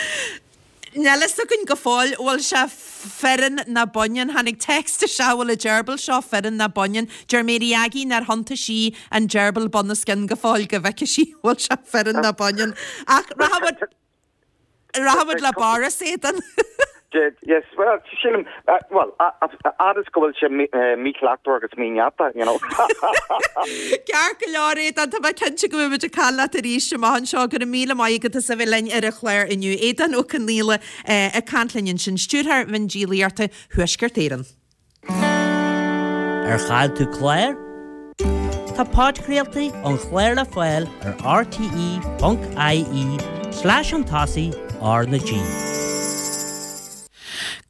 Níl a fhios againn go fóill bhfuil sé fireann ná baineann. Tháinig text isteach bhfuil an gerbil seo fireann ná baineann. Deir Mary Aggie nár thiontaigh sí an gerbil bunoscionn go fóill go bhfeicfidh sí bhfuil sé fireann ná baineann. Ach rachaimid rachaimid le Boris Aodán. Yes, well, sílim, well, fhad is go bhfuil sé míshlachtmhar agus mínéata, you know. Ceart go leor, Aodán, tá mé cinnte go mbeidh muid ag caint leat arís amach anseo. Go raibh míle maith agat as a bheith linn ar an chlár inniu. Aodán Ó Conghaile ag caint linn ansin, Stiúrthóir Mhiondíolaíochta Thuaisceart Éireann. Ar chaill tú clár? Tá podchraoltaí an chláir le fáil ar rte ponc ie slash chun tosaigh R na G.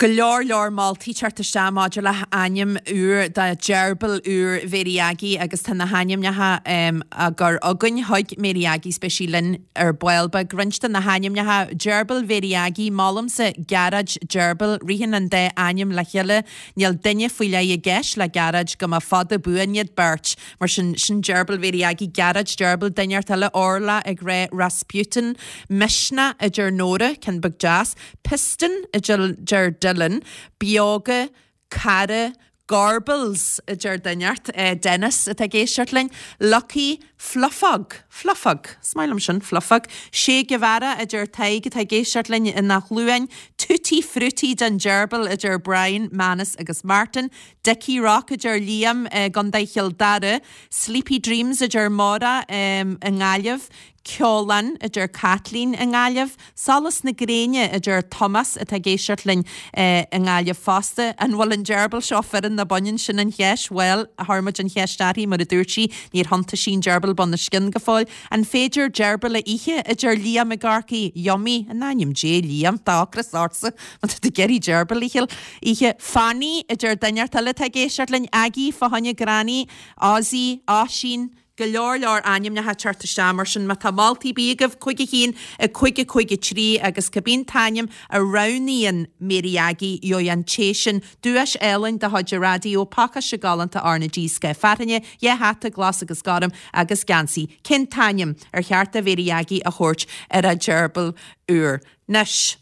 Go leor leor moltaí teacht isteach maidir le hainm úr do gheirbil úr Mhéirí Aggie agus tá na hainmneacha á gcur againn chuig Mary Aggie is beidh sí linn ar ball beag. Roinnt de na hainmneacha, Gerbil Mhéirí Aggie, Molaimse Gearóid Gerbil, ritheann an dá ainm le chéile, níl duine faoi leith i gceist le Gearóid, go mba fada buan iad beirt. Mar sin, sin Gerbil Mhéirí Aggie, Gearóid Gerbil, duine inteacht eile, Orla ag rá Rasputin, Misneach a deir Nóra, ceann beag deas, Piston a deir Dylan, Beoga, Cara, Gorbals a deir duine inteacht, Dennis atá ag éisteacht linn, Lucky, Fluffog, Fluffog, is maith liom sin, Fluffog, Che Guevara a deir Tadhg atá ag éisteacht linn in Áth Luain, Tutti Frutti don Gerbil a deir Brian, Manus agus Martin, Dickie Rock a deir Liam i gContae Chill Dara, Sleepy Dreams a deir Máire i nGaillimh, Ceolán, a deir Caitlín i nGaillimh. Solas na gréine, a deir Tomás atá ag éisteacht linn i nGaillimh fosta. An bhfuil an gerbil seo fireann nó baineann? Sin an cheist. Bhuel, chuir muid an cheist uirthi, mar a dúirt sí, níor thiontaigh sí an gerbil bunoscionn go fóill. An féidir gerbil a ithe, a deir Liam i gCorcaigh. Yummy, in ainm Dé, Liam, tá ocras ortsa má tá tú ag iarraidh gerbil a ithe. Fanny, a deir duine inteacht eile atá ag éisteacht linn. Aggie, fá choinne Granny, Ozzy, Oisín, Go leor leor ainmneacha ag teacht isteach mar sin má tá moltaí ar bith agaibh, cúig a haon, a cúig a cúig a trí agus cibé an t-ainm a roghnaíonn Mary Aggie gheobhaidh an té sin duais álainn de chuid an raidió, pacáiste galánta R na G Scoth Fearthainne, dhá hata glas agus gorm agus geansaí. Cén t-ainm ar cheart do Mhary Aggie a thabhairt ar a gerbil úr? Anois.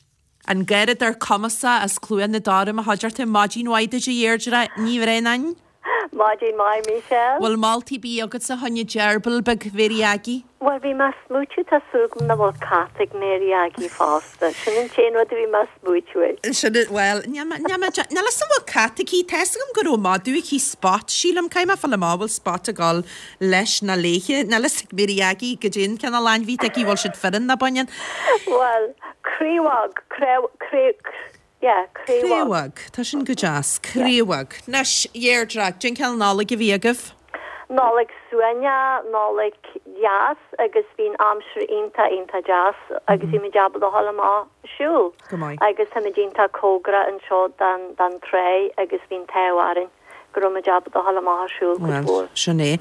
An garradóir cumasach as Cluain na dTor i mo chuideachta, maidin mhaith duit a Dheirdre Ní Bhraonáin. Maidin mhaith Michelle. Bhfuil moltaí ar bith agatsa fá choinne gerbil beag Mhary Aggie? Bhuel bhí mé ag smaoitiú tá súil agam nach bhfuil cat ag Mary Aggie fosta. Sin an t-aon rud a bhí mé ag smaoitiú air. Sin it, bhuel, níl mé, níl mé, níl fhios agam bhfuil cat aici, tá fhios agam go raibh madadh aici, Spot, sílim, caithfidh mé fáil amach bhfuil Spot ag dul leis nó léithe, níl fhios ag Mary Aggie goidé an cineál ainmhí atá aici, bhfuil siad fireann nó baineann. Bhuel, craobhóg, craobh, craobh, yeah, craobhóg. Craobhóg, tá sin go deas, craobhóg. Anois, Dheirdre, cén cineál Nollaig a bhí agaibh? Nollaig suaimhneach, Nollaig dheas agus bhí an aimsir iontach, iontach deas agus bhí muid ábalta a dhul amach ag siúl. Go maith. Agus táimid iontach cóngarach anseo don, don tráigh agus bhí an t-ádh orainn go raibh muid ábalta a dhul amach ag siúl cuid Bhuel, mhór. sin é.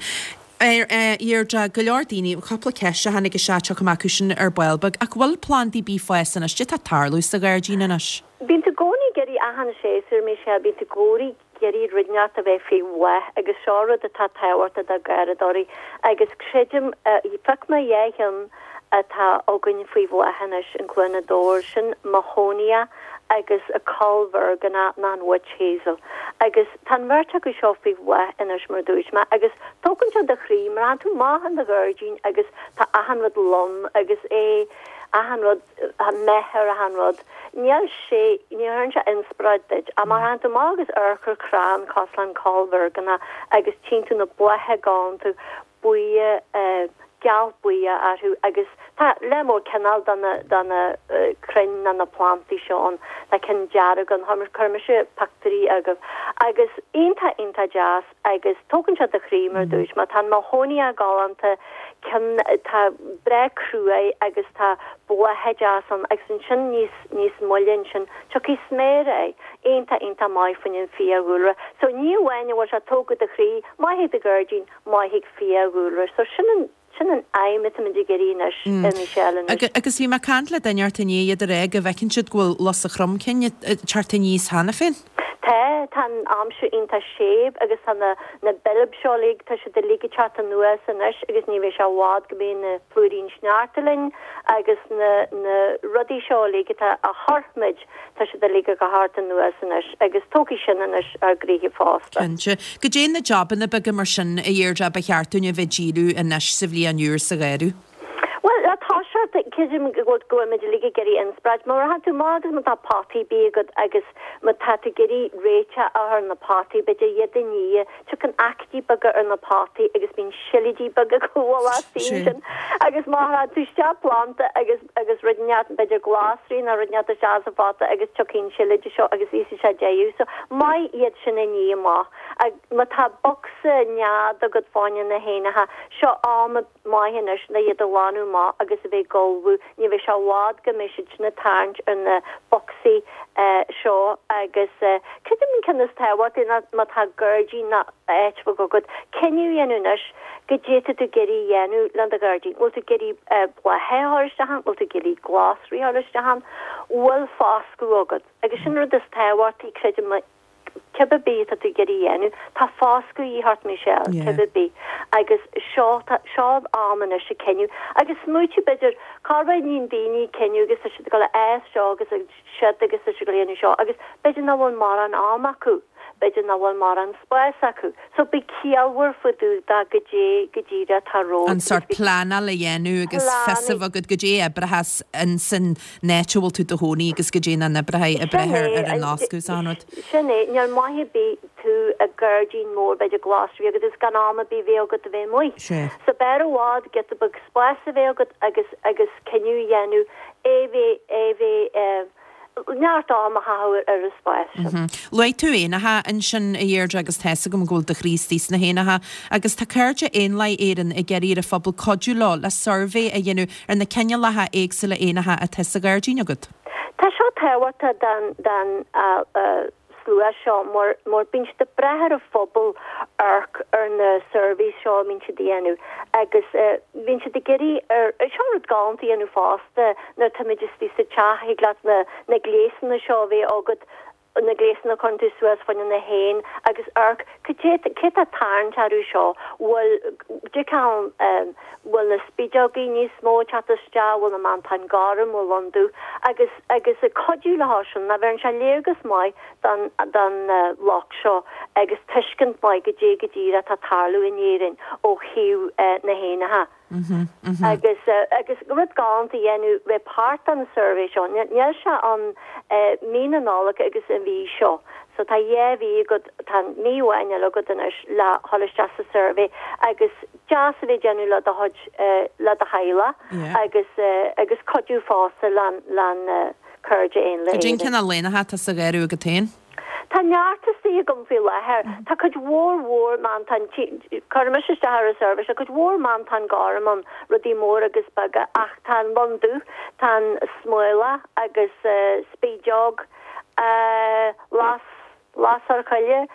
Dheirdre, go leor daoine, cúpla ceist a tháinig isteach, tiocfaidh mé acu sin ar ball beag, ach bhfuil plandaí ar bith ag fás anois? Cad é atá ag tarlú sa ghairdín anois? Bíonn tú i gcónaí ag iarraidh achan séasúr, Michelle, bíonn tú i gcónaí ag iarraidh rud inteacht a bheith faoi bhláth agus seo rud atá tábhachtach do gharradóirí agus creidim, phioc mé dhá cheann atá againn faoi bhláth anois in Cluain na dTor, sin Mahonia agus an coll mheirgeanach nó an witch hazel. Agus tá an bheirt acu seo faoi bhláth anois mar a dúirt mé agus tógann sé do chroí mar tánn tú amach in do ghairdín agus tá achan rud lom agus é achan rud méith ar achan rud. Níl sé, ní chuireann sé inspioráid duit. Ach má tánn tú amach agus amharc ar chrann cosúil leis an coll mheirgeanach agus tchíonn tú na blátha galánta buí, geal buí orthu agus tá lear mór cineál de na, de na crainn nó na plantaí seo ann, tá cinn dearg ann, chuir mise pictiúirí agaibh agus iontach, iontach deas agus tógann sé do chroí mar a dúirt mé, tá an mahonia galánta, ceann atá breá cruaidh agus tá blátha deas ann agus ansin níos, níos moille ansin tiocfaidh sméara air, iontach, iontach maith fá choinne an fiadhúlra. So ní amháin a bhfuil sé ag tógadh do chroí, maith do ghairdín, maith ag fiadhúlra. So sin an, sin an aidhm atáimid ag iarraidh anois, a Michelle, anois. Agus bhí mé ag caint le duine ort inné, iad ag rá go bhfeiceann siad go bhfuil lus an chromchinn ag teacht aníos cheana féin. Tá, tá an aimsir iontach séimh agus tá na, na boilb seo uilig, tá siad uilig ag teacht anuas anois agus ní bheidh sé i bhfad go mbeidh na plúirín sneachta linn agus na, na rudaí seo uilig atá a chuir muid Tá siad uilig ag teacht anuas anois agus tógfaidh sin anois ár gcroíthe fosta. Cinnte. Goidé na jabanna beaga mar sin, a Dheirdre, ba cheart dúinn a bheith ag díriú anois sa bhliain úr sa gharradh? Bhuel, le toiseacht, creidim go bhfuil go bhfuil muid uilig ag iarraidh inspioráid. Má tánn tú amach agus má tá potaí ar bith agat agus má tá tú ag iarraidh réiteach a chur ar na potaí, b'fhéidir iad a ní, Tiocfaidh aicídí beaga ar na potaí agus bíonn silídí beaga ag gabháil astu ansin agus má chuireann tú isteach planda agus agus rud inteacht b'fhéidir glasraí nó rud inteacht isteach sa phota agus tiocfaidh an silíde seo agus íosfaidh sé deireadh. So maith iad sin a ní amach Má tá bocsa nead agat fá choinne na héanacha, seo am maith anois le iad a ghlanadh amach agus a bheith ag ullmhú. Ní bheidh sé i bhfad go mbeidh siad sin ag tarraingt ar na bocsaí seo agus creidim an ceann is tábhachtaí ná má tá gairdín nó áit bheag agat, cinneadh a dhéanamh anois goidé tá tú ag iarraidh a dhéanamh le do ghairdín. Bhfuil tú ag iarraidh blátha a chur isteach ann? Bhfuil tú ag iarraidh glasraí a chur isteach ann? Bhfuil foscadh agat? Agus sin an rud is tábhachtaí, creidim, cibé ar bith atá tú ag iarraidh a dhéanamh, tá foscadh a dhíth ort, Michelle, cibé ar bith. Agus seo, tá, seo an am anois ag cinneadh. Agus smaoitiú, b'fhéidir, corruair níonn daoine cinneadh agus tá siad ag dul a fhás seo agus siúd agus tá siad ag dul a dhéanamh seo agus b'fhéidir nach bhfuil mórán am acu, b'fhéidir nach bhfuil mórán spás acu. So bí ciallmhar fá dtaobh de goidé go díreach atá romhat. An sórt pleanáil a dhéanamh agus fios a bheith agat goidé a oibreochas ins an áit a bhfuil tú i do chónaí agus goidé nach n-oibreoidh ag brath ar an fhoscadh is an rud. Sin é, níl maith ar bith tú i gairdín mór, b'fhéidir glasraí agat is gan am ar bith bheith agat a bheith amuigh. So b'fhearr i bhfad giota beag spás a bheith agat agus agus cinneadh a dhéanamh é bheith é bheith neart am a chaitheamh ar an spás sin. Luaigh tú éanacha ansin, a Dheirdre, agus tá's agam go bhfuil do chroí istigh sna héanacha, agus tá Cairde Éanlaith Éireann ag iarraidh ar an phobal cuidiú leo le suirbhé a dhéanamh ar na cineálacha éagsúla éanacha atá sa ghairdín agat. Tá seo tábhachtach don don slua seo mar mar bíonn siad ag brath ar an phobal amharc ar na surveys seo a mbíonn siad a dhéanamh agus bíonn siad ag iarraidh ar, seo rud galánta a dhéanamh fosta nuair atáimid istigh sa teach, thig leat na na gléasanna seo a bheith agat, na gléasanna a chuireann tú suas fá choinne na héin agus amharc cad é cé tá ag tarraingt orthu seo, bhfuil dtiocfadh bhfuil na spideogaí níos mó ag teacht isteach, bhfuil na mantáin gorm, bhfuil lon dubh agus agus ag cuidiú leo sin, ná bheireann sé léargas maith don don lucht seo agus tuiscint maith goidé go díreach atá ag tarlú in Éirinn ó thaobh na héanacha. Agus agus rud galánta a dhéanamh bheith páirt den suirbhé seo, níl sé ann mí na Nollag agus an mhí seo. So tá dhá mhí agat, tá mí amháin eile agat anois le dhul isteach sa suirbhé agus deas a bheith ag déanamh le do chuid, le do theaghlach agus agus cuidiú fosta le'n le'n Cairde Éanlaith Cad é an Éireann. cineál éanacha atá sa gharradh agat féin? Tá neart istigh agam faoi láthair. Tá cuid mhór mhór mantán, cuirim mise isteach ar an suirbhé seo, cuid mhór mantán gorm ann, rudaí móra agus beaga, ach tá an lon dubh, tá an smólach agus spideog, las, lasair choille.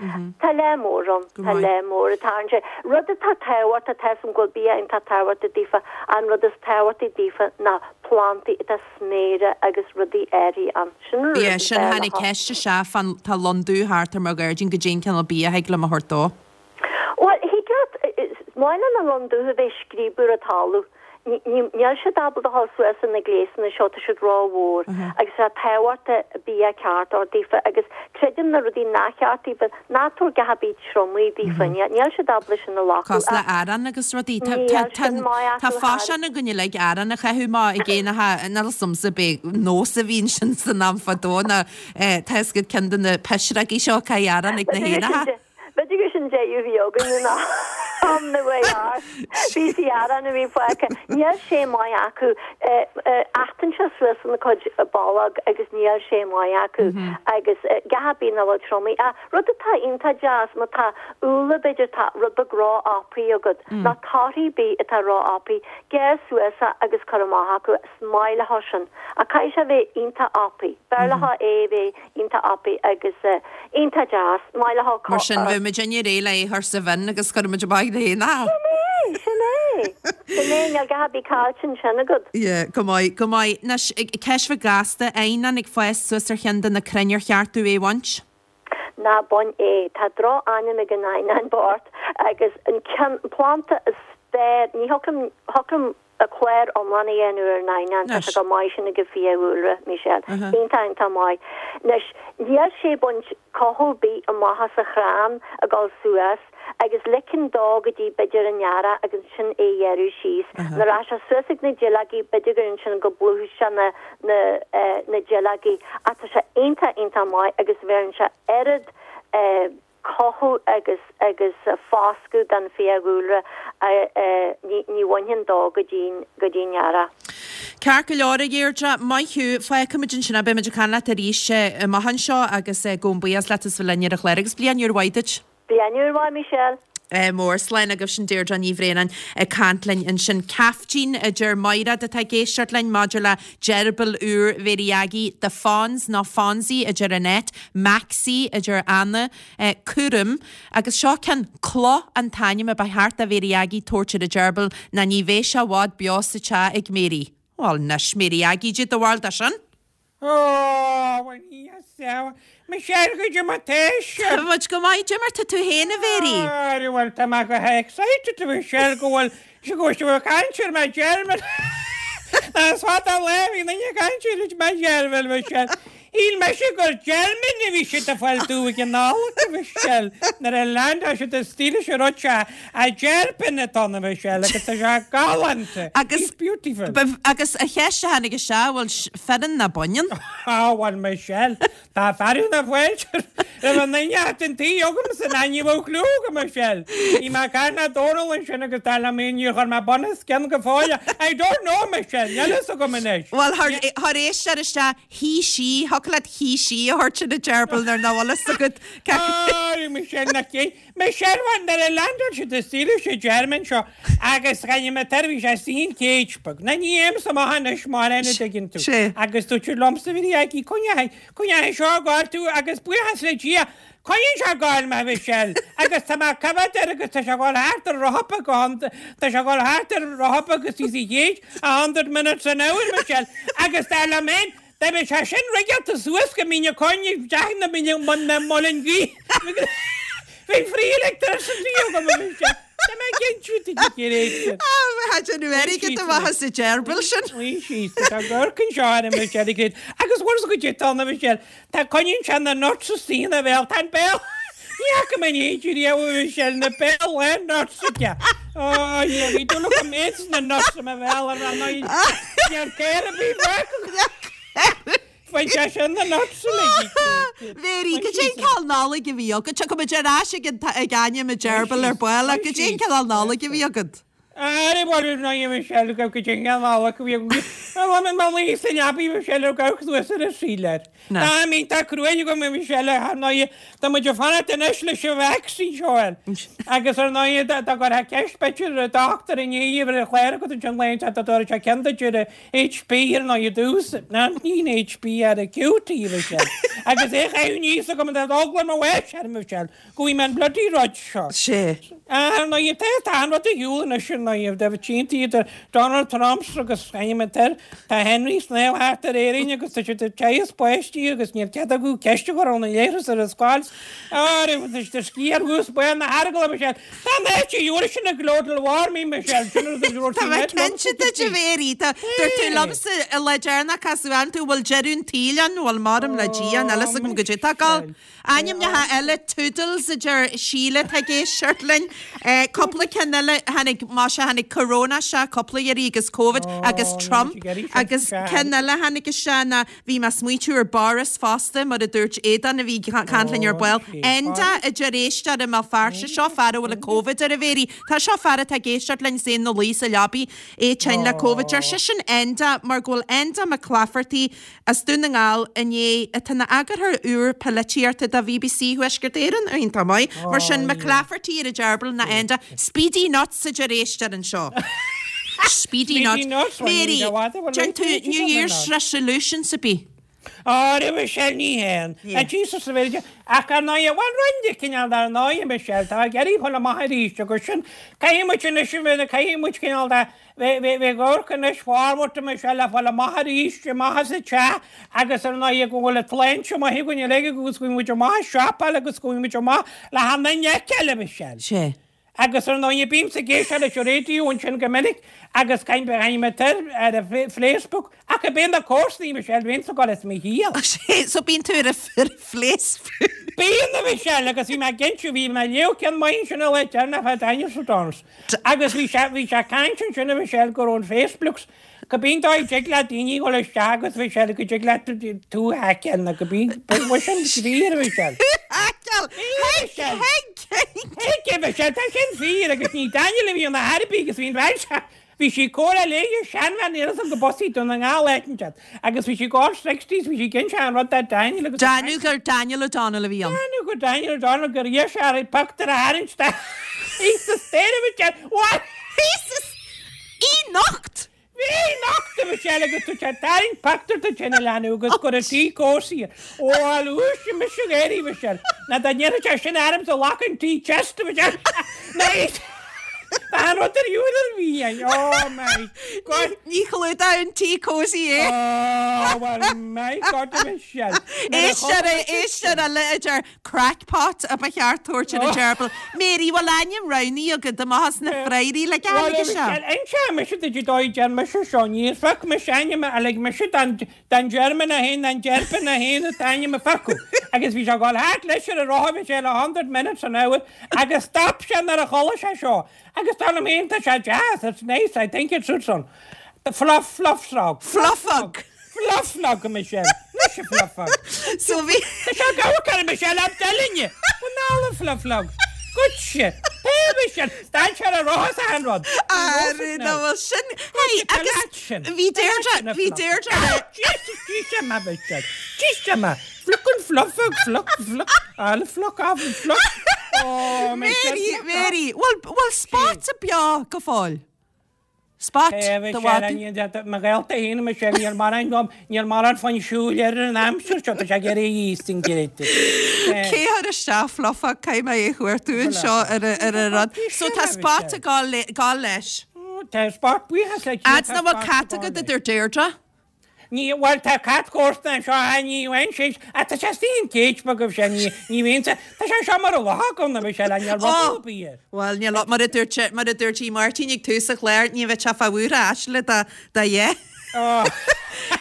Tá lear mór ann, Go tá maith. lear mór atá ann. Rud atá tábhachtach, tá 'fhios a'm go bhfuil bia iontach tábhachtach daofa, an rud is tábhachtaí daofa ná plandaí atá sméara agus rudaí áirithe ann. Sin an rud Yeah, is sin fearr tháinig leo. ceist isteach fán tá lon dubh thart ar mo ghairdín goidé an cineál bia a thig liom a thabhairt dó. Bhuel, thig leat, is maith le na lon dubh a bheith ag scríobadh ar an talamh. Níl siad ábalta a dhul suas ar na gléasanna seo, tá siad rómhór agus tá tábhachtach bia ceart a thabhairt daofa agus creidim na rudaí nach ceart daofa, ná tabhair a dhath ar bith triomaithe daofa, níl siad ábalta sin a ghlacadh Cosúil le ach arán agus rudaí. Tá níl sin maith tá acu thar. faisean againn uilig arán a chaitheamh amach ag éanacha, níl 'fhios a'msa ab é nós a bhí ansin san am fadó ná tá 'fhios agat ceann de na pisreogaí seo caith arán ag na B'fhéidir gur héanacha. sin b'fhéidir gur sin deireadh a bhí againn in am na bhfear. Píosaí aráin a bhí fágtha. Níl sé maith acu. Achtann sé suas ina cuid bolg agus níl sé maith acu. Agus a dhath ar bith nach bhfuil triomaithe. Ach rud atá iontach deas, má tá úlla b'fhéidir tá rud beag ró-fhapaithe agat, nó torthaí ar bith atá ró-fhapaithe, gearr suas é agus cuir amach acu. Is maith leo sin. Ach caithfidh sé a bheith iontach fhapaithe. B'fhearr leo é a bheith iontach fhapaithe agus iontach deas. Maith leo Mar sin bheadh muid inné réidh le é a chur sa bhinn agus chuir muid amach na héanacha. Sin é, sin é. Sin é, níl a dhath ar bith caillte ansin agat. Yeah, go maith, go maith. Anois, ceist bheag gasta, eidhneán ag fás suas ar cheann de na crainn ar cheart domh é a bhaint? Ná bain é. Tá droch-ainm ag an eidhneán bocht agus an ceann, planda is fearr, ní thiocfadh liom, thiocfadh liom clár iomlán a dhéanamh ar an eidhneán, tá sé chomh maith sin ag an bhfiadhúlra, Michelle. Iontach, iontach maith. Anois, níl sé ag baint cothú ar bith amach as a chrann ag dul suas agus ligean dó go dtí b'fhéidir an earrach agus ansin é a ghearradh síos. Nuair atá sé suas ag na duilleogaí, b'fhéidir gur ansin go bplúchfaidh sé na, na, eh, na duilleogaí. Ach tá sé iontach, iontach maith agus bheireann sé oiread, eh, cothú agus agus foscadh don fiadhúlra ní ní bhainfinn dó go dtí go dtí an earrach. Ceart go leor, a Dheirdre, maith thú. Fágfaimid ansin é. Beimid ag caint leat arís amach anseo agus gabhaim buíochas leat as bheith linn ar an chlár agus bliain úr mhaith duit. Bliain úr mhaith, Michelle. Mór. Slán agaibh sin Deirdre Ní Bhraonáin ag caint linn ansin. Caiftín a deir Maighread atá ag éisteacht linn maidir le gerbil úr Mhéirí Aggie, The Fonz nó Fonzie a deir Annette, Maxie a deir Anna, Cúram agus seo ceann Cloch an t-ainm a ba cheart do Mhéirí Aggie tabhairt ar an gerbil ná ní bheidh sé i bhfad beo sa teach ag Mary. Bhuel anois Mary Aggie cad é do bharúil de sin? Ó, bhuel, yes, Michelle, goidé mar tá sibh. Tá muid go maith, goidé mar tá tú féin, a Mhéirí. Arú, bhuel, tá mé go h-excited, a Michelle, go bhfuil, go bhfuil sibh ag caint ar mo gheirbil. Is fada an lá a bhí duine ag caint ar mo gheirbil, Michelle. Shíl mise gur German a bhí siad ag fáil domh ag an Nollaig, a Mhichelle, nuair a leaindeáil siad istigh leis an rud seo, a gerbil atá ann, a Mhichelle, agus tá sé galánta. Agus, He's beautiful. agus an cheist a tháinig isteach, bhfuil fireann ná baineann? Á, bhuel, Michelle, tá fearadh na fáilte roimh an duine at an tí agamsa ná ní bheadh clue agam, a Michelle. Bhí mé ag caint le Dónal ansin agus dar liom é níor chuir mé bun os cionn go fóill. I don't know, Michelle, níl fhios agam anois. Bhuel, thar éisteoir isteach, he, she, thiocfadh leat he, she a thabhairt ar an gerbil nuair nach bhfuil fhios agat cé Á, Michelle, nach cé. Michelle, bhuel, nuair a leaindeáil siad istigh leis an German seo agus chaith mé tar, bhí sé istigh in cage beag. Ná ní théimse amach anois mar a dtuigeann tú. Sé. Agus dúirt siad liomsa, bhí aici, coinnigh, coinnigh seo ag gabháil tú agus buíochas le Dia, coinníonn sé ag gabháil mé, Michelle, agus tá mé ag coimhéad air agus tá sé ag gabháil thart ar rotha go hon, tá sé ag gabháil thart ar rotha agus he's a chéad, a hundred minutes an hour, Michelle, agus dar liom féin, Dá mbeadh sé sin rigeáilte suas go Mín an Choinn deich na míle na muileann gaoithe. Bheadh free electricity agam a bhí sé. Tá mé cinnte duit a chéile. Tá déanamh airgid amach as an gerbil sin. Bhí sí, tá gorc anseo ar an Michelle ag Agus bhfuil a fhios agat tá na Michelle, tá coinníonn sé na nuts istigh ina bhéal, tá an béal Ní fhaca mé in éide riamh a Michelle na béal lán nuts aige. Ó, yeah, bhí dúil agam méid na nuts i mo bhéal ar an Níl céir a bhí bheag. Bhain sé sin na nuts uilig. Mary, cad é an cineál Nollaig a bhí agat? Tiocfaidh muid ar ais ag an ag ainm an gerbil ar ball ach cad é an cineál Nollaig a bhí agat? Ar bhfuil na Michelle go go dtí an Nollaig a bhí agat. Bhí mé luí sa leabaidh Michelle ag amharc suas ar an síléar. Tá mé tá cruaidh agam a Michelle ar ndóigh tá muid ag fanacht anois leis an vaccine seo fháil. Agus ar ndóigh dá gcuirfeá ceist b'fhéidir ar dochtúir inné ar an chlár agat ansin laethanta dá dtabharfadh sé ceann duit ar HP ar ndóigh i dtús. Ná ní an HP ar an QT a Michelle. Agus é a chaitheamh aníos agam an eagla mo bháis air Michelle go bhfaighidh mé an bloody rud seo. Sé. Ar ndóigh tá tá an rud ar shiúl anois ar ndóigh tá tínte idir Donald Trump agus ainm an t-air Tá Henry ag snámh thart ar Éirinn agus tá siad ag teaghadh páistí agus níl cead acu ceist a chur óna leithreas ar an scoil. Áireamh tá siad ag sciar thuas baol na heargala Michelle. Tá an áit a gheobhaidh sin a global warming Michelle. Sin rud a dúirt Tá sí mé net liomsa cinnte duit a go dtí. Mhéirí. Tá dúirt tú liomsa an lá deireanach casadh ann tú bhfuil deireadh an tsaoil ann bhfuil maram le Dia níl fhios Ó agam goidé tá ag gabháil. Michelle. Ainmneacha eile Toodles a deir Síle atá ag éisteacht linn. Cúpla ceann eile tháinig más ea tháinig Corona isteach cúpla iarraidh agus Covid agus Ó, níl Trump muid ag iarraidh sin agus isteach. ceann eile tháinig isteach ná bhí mé ag smaointiú ar Boris fosta mar a dúirt Aodán a bhí ag caint linn ar Ó, ball. sé Enda Boris. a deir éisteoir i mBéal Feirste seo fear a bhfuil an Covid air a Mhéirí. Tá seo fear atá ag éisteacht linn is é ina luí sa leabaidh é tinn le Covid. Deir Ó. seisean Enda mar go bhfuil Enda McClafferty as Dún na nGall inné atá ina eagarthóir úr polaitíochta do BBC Thuaisceart Éireann, iontach maith, mar sin McClafferty ar an gerbil ná Enda. Speedy Nuts a deir éisteoir anseo. Speedy Speedy Nuts. Nuts, bhuel, Mary, ní raibh fada, bhuel, déan tú ní New raibh Year's ann. resolutions a bith? Á, a Michelle, ní haon. Yeah. An Jesus a bheidh ach ar ndóigh, bhuel, roinn de cineál dar ndóigh, Michelle, tá ag iarraidh dhul amach arís agus sin, caithfidh muid anois a bheith, caithfidh muid cineál de, Bheadh amharc anois forward Michelle le fáil amach arís, amach as an teach agus ar ndóigh go bhfuil an tsláinte maith againn uilig agus go bhfuil muid amach ag siopáil agus go bhfuil muid amach le hAnna Nic eile Michelle. Sé. Agus ar ndóigh bímse ag éisteacht leis an raidió ansin go minic agus caint ar ar an Facebook ach ab é na comharsanaí Michelle bhíonn ag dul as mo chiall. Sé, so bíonn tú ar an Facebook. Bíonn a Michelle agus bhí mé ag cinntiú, bhí mé ag léamh ceann maith ansin an lá deireanach fá Dinosaur Dance agus bhí sé, bhí sé ag caint ansin a Michelle go raibh an Facebooks, go bíonn dóigh dtig le daoine dhul isteach agus Michelle go dtig leat tú a haiceáil nó go bíonn, bhuel sin fíor a Michelle. Tú a haiceáil! Fíor a Michelle! Thuig, thuig, thuig! Thuig a Michelle, tá sin fíor agus ní Daniel a bhí ina thairbí agus bhí an bhean seo, Bhí sí ag comhrá léi seanbhean níl fhios agam go bus í Dún na nGall áit inteacht agus bhí sí ag gabháil sixties bhí sí ag inse an rud do Daniel agus Daniel gur Daniel O'Donnell a bhí ann. Daniel gur Daniel O'Donnell gur iarr sé uirthi pictiúr a tharraingt de Í sa spéir a Mhichelle What? Í sa Í nocht! Bhí nocht a Mhichelle agus tú ag tarraingt pictiúr de sin a leanbh agus go raibh sí cósaí. Ó a luaise mise ag éirí Mhichelle ná dá ndéanfadh sé sin ormsa ghlacfainn an tí chest a Mhichelle Ná í Tá an rud ar shiúl ar bhí é. Oh my God. Ní chlúdódh an tí cosy é. Oh well my God a Michelle. Éisteoir éisteoir eile a deir crackpot a ba cheart tabhairt ar an gerbil. Mary, bhfuil ainm roghnaithe agat amach as na frairí le Well aige seo? Michelle, inseoidh mise duit an dóigh a deir mise seo. Níor phioc mise ainm a lig mise don don German é féin don gerbil é féin an t-ainm a phiocadh. Agus bhí sé ag dul thart leis ar an rotha Michelle a hundred minutes an hour agus stop sé nuair a chuala sé seo. Agus dar liom féin tá sé deas, it's nice, I think it suits him. Fluff, fluff srog. Fluffog. Fluffnog, Michelle. Mise fluffog. So bhí. Tá sé ag amharc ar Michelle ab delinne. Bhuel fluffnog. Goitse. Pé Michelle, stad sé ar an rotha sa an rud. Arú ná bhfuil sin. Hey, agus bhí Deirdre, bhí Deirdre. Jesus, Jesus, ma Michelle. Jesus, ma. Fluck an fluffog, fluck, fluck. Al fluck, af fluck. Oh, Michelle, Mary, fluck off. Mary, bhfuil bhfuil Spot beo go fóill? Spot do mhadadh? Mo ghaolta féin Michelle, níl mórán dom, níl mórán fonn siúil air an aimsir seo, tá sé ag iarraidh a íos an gcreidte. Cé chuir isteach Fluffog caithfidh mé é a chuartú anseo ar a- ar an rud. So tá Spot ag gabháil le- gabháil leis. Tá Spot buíochas le Dia, Fhad tá nach bhfuil Spot cat ag agat gabháil a deir Deirdre? Ní, bhuel, tá cat comharsana anseo, ah, ní bhain sé, ah, tá sé istigh an cage beag agaibh sin, ní, ní bhíonn sé, tá sé anseo mar a luch agam, Michelle, níl rud Oh! ar bith air. Bhuel, níl, mar a dúirt sé, mar a dúirt í Máirtín ag tús an chláir, ní bheadh sé fá bhuaire aisle dá, dá dhé. Oh.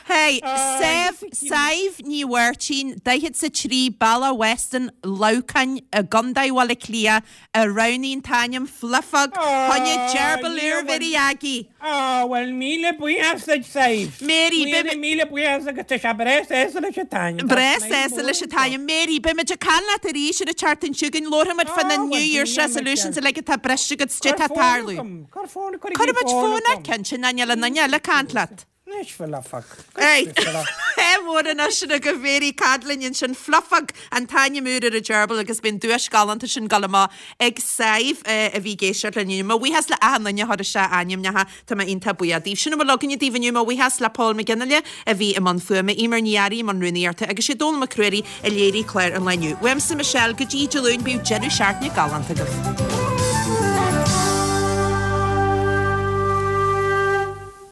Hey, Ah, Sadhbh, Sadhbh Ní Mháirtín, daichead 's a trí, Bealach Weston, Leamhcán i gContae Bhaile Átha Cliath, a roghnaigh an t-ainm Fluffog, choinne gerbil úr Mhary Aggie. Á, bhuel, míle buíochas duit, Sadhbh. Mary, Míle, beidh- míle buíochas agus tá sé breá sásta leis an t-ainm. Breá sásta leis an t-ainm. Mary, beimid ag caint leat arís ar an tseachtain seo chugainn, labharfaimid fá na Á, bhuel, New Year's bíonn, resolutions Michelle. uilig atá briste agat, Cuir cad tá fón tarlú. agam, Cuir fón, cuir Cuirfimid fón fón ar agam. cinnte, ná níl aon duine eile ag caint leat. Anois Fluffog. Hey, mór anois sin go Mary Cadlin sin Fluffog an t-ainm úr ar an gerbil agus bíonn duais galánta sin ag gabháil amach ag Sadhbh a bhí ag éisteacht linn inniu. Mo bhuíochas le achan duine a chuir isteach ainmneacha tá mé iontach buíoch daoibh. Sin a bhfuil againne daoibh inniu mo bhuíochas le Paul McGinley a bhí i mbun fuaime, Emer Ní Fhearraigh i mbun rúnaíochta agus sé Dónal Mac Ruairí a léirigh clár an lae inniu. Uaimse Michelle go dtí Dé Luain bíodh deireadh seachtaine galánta agaibh.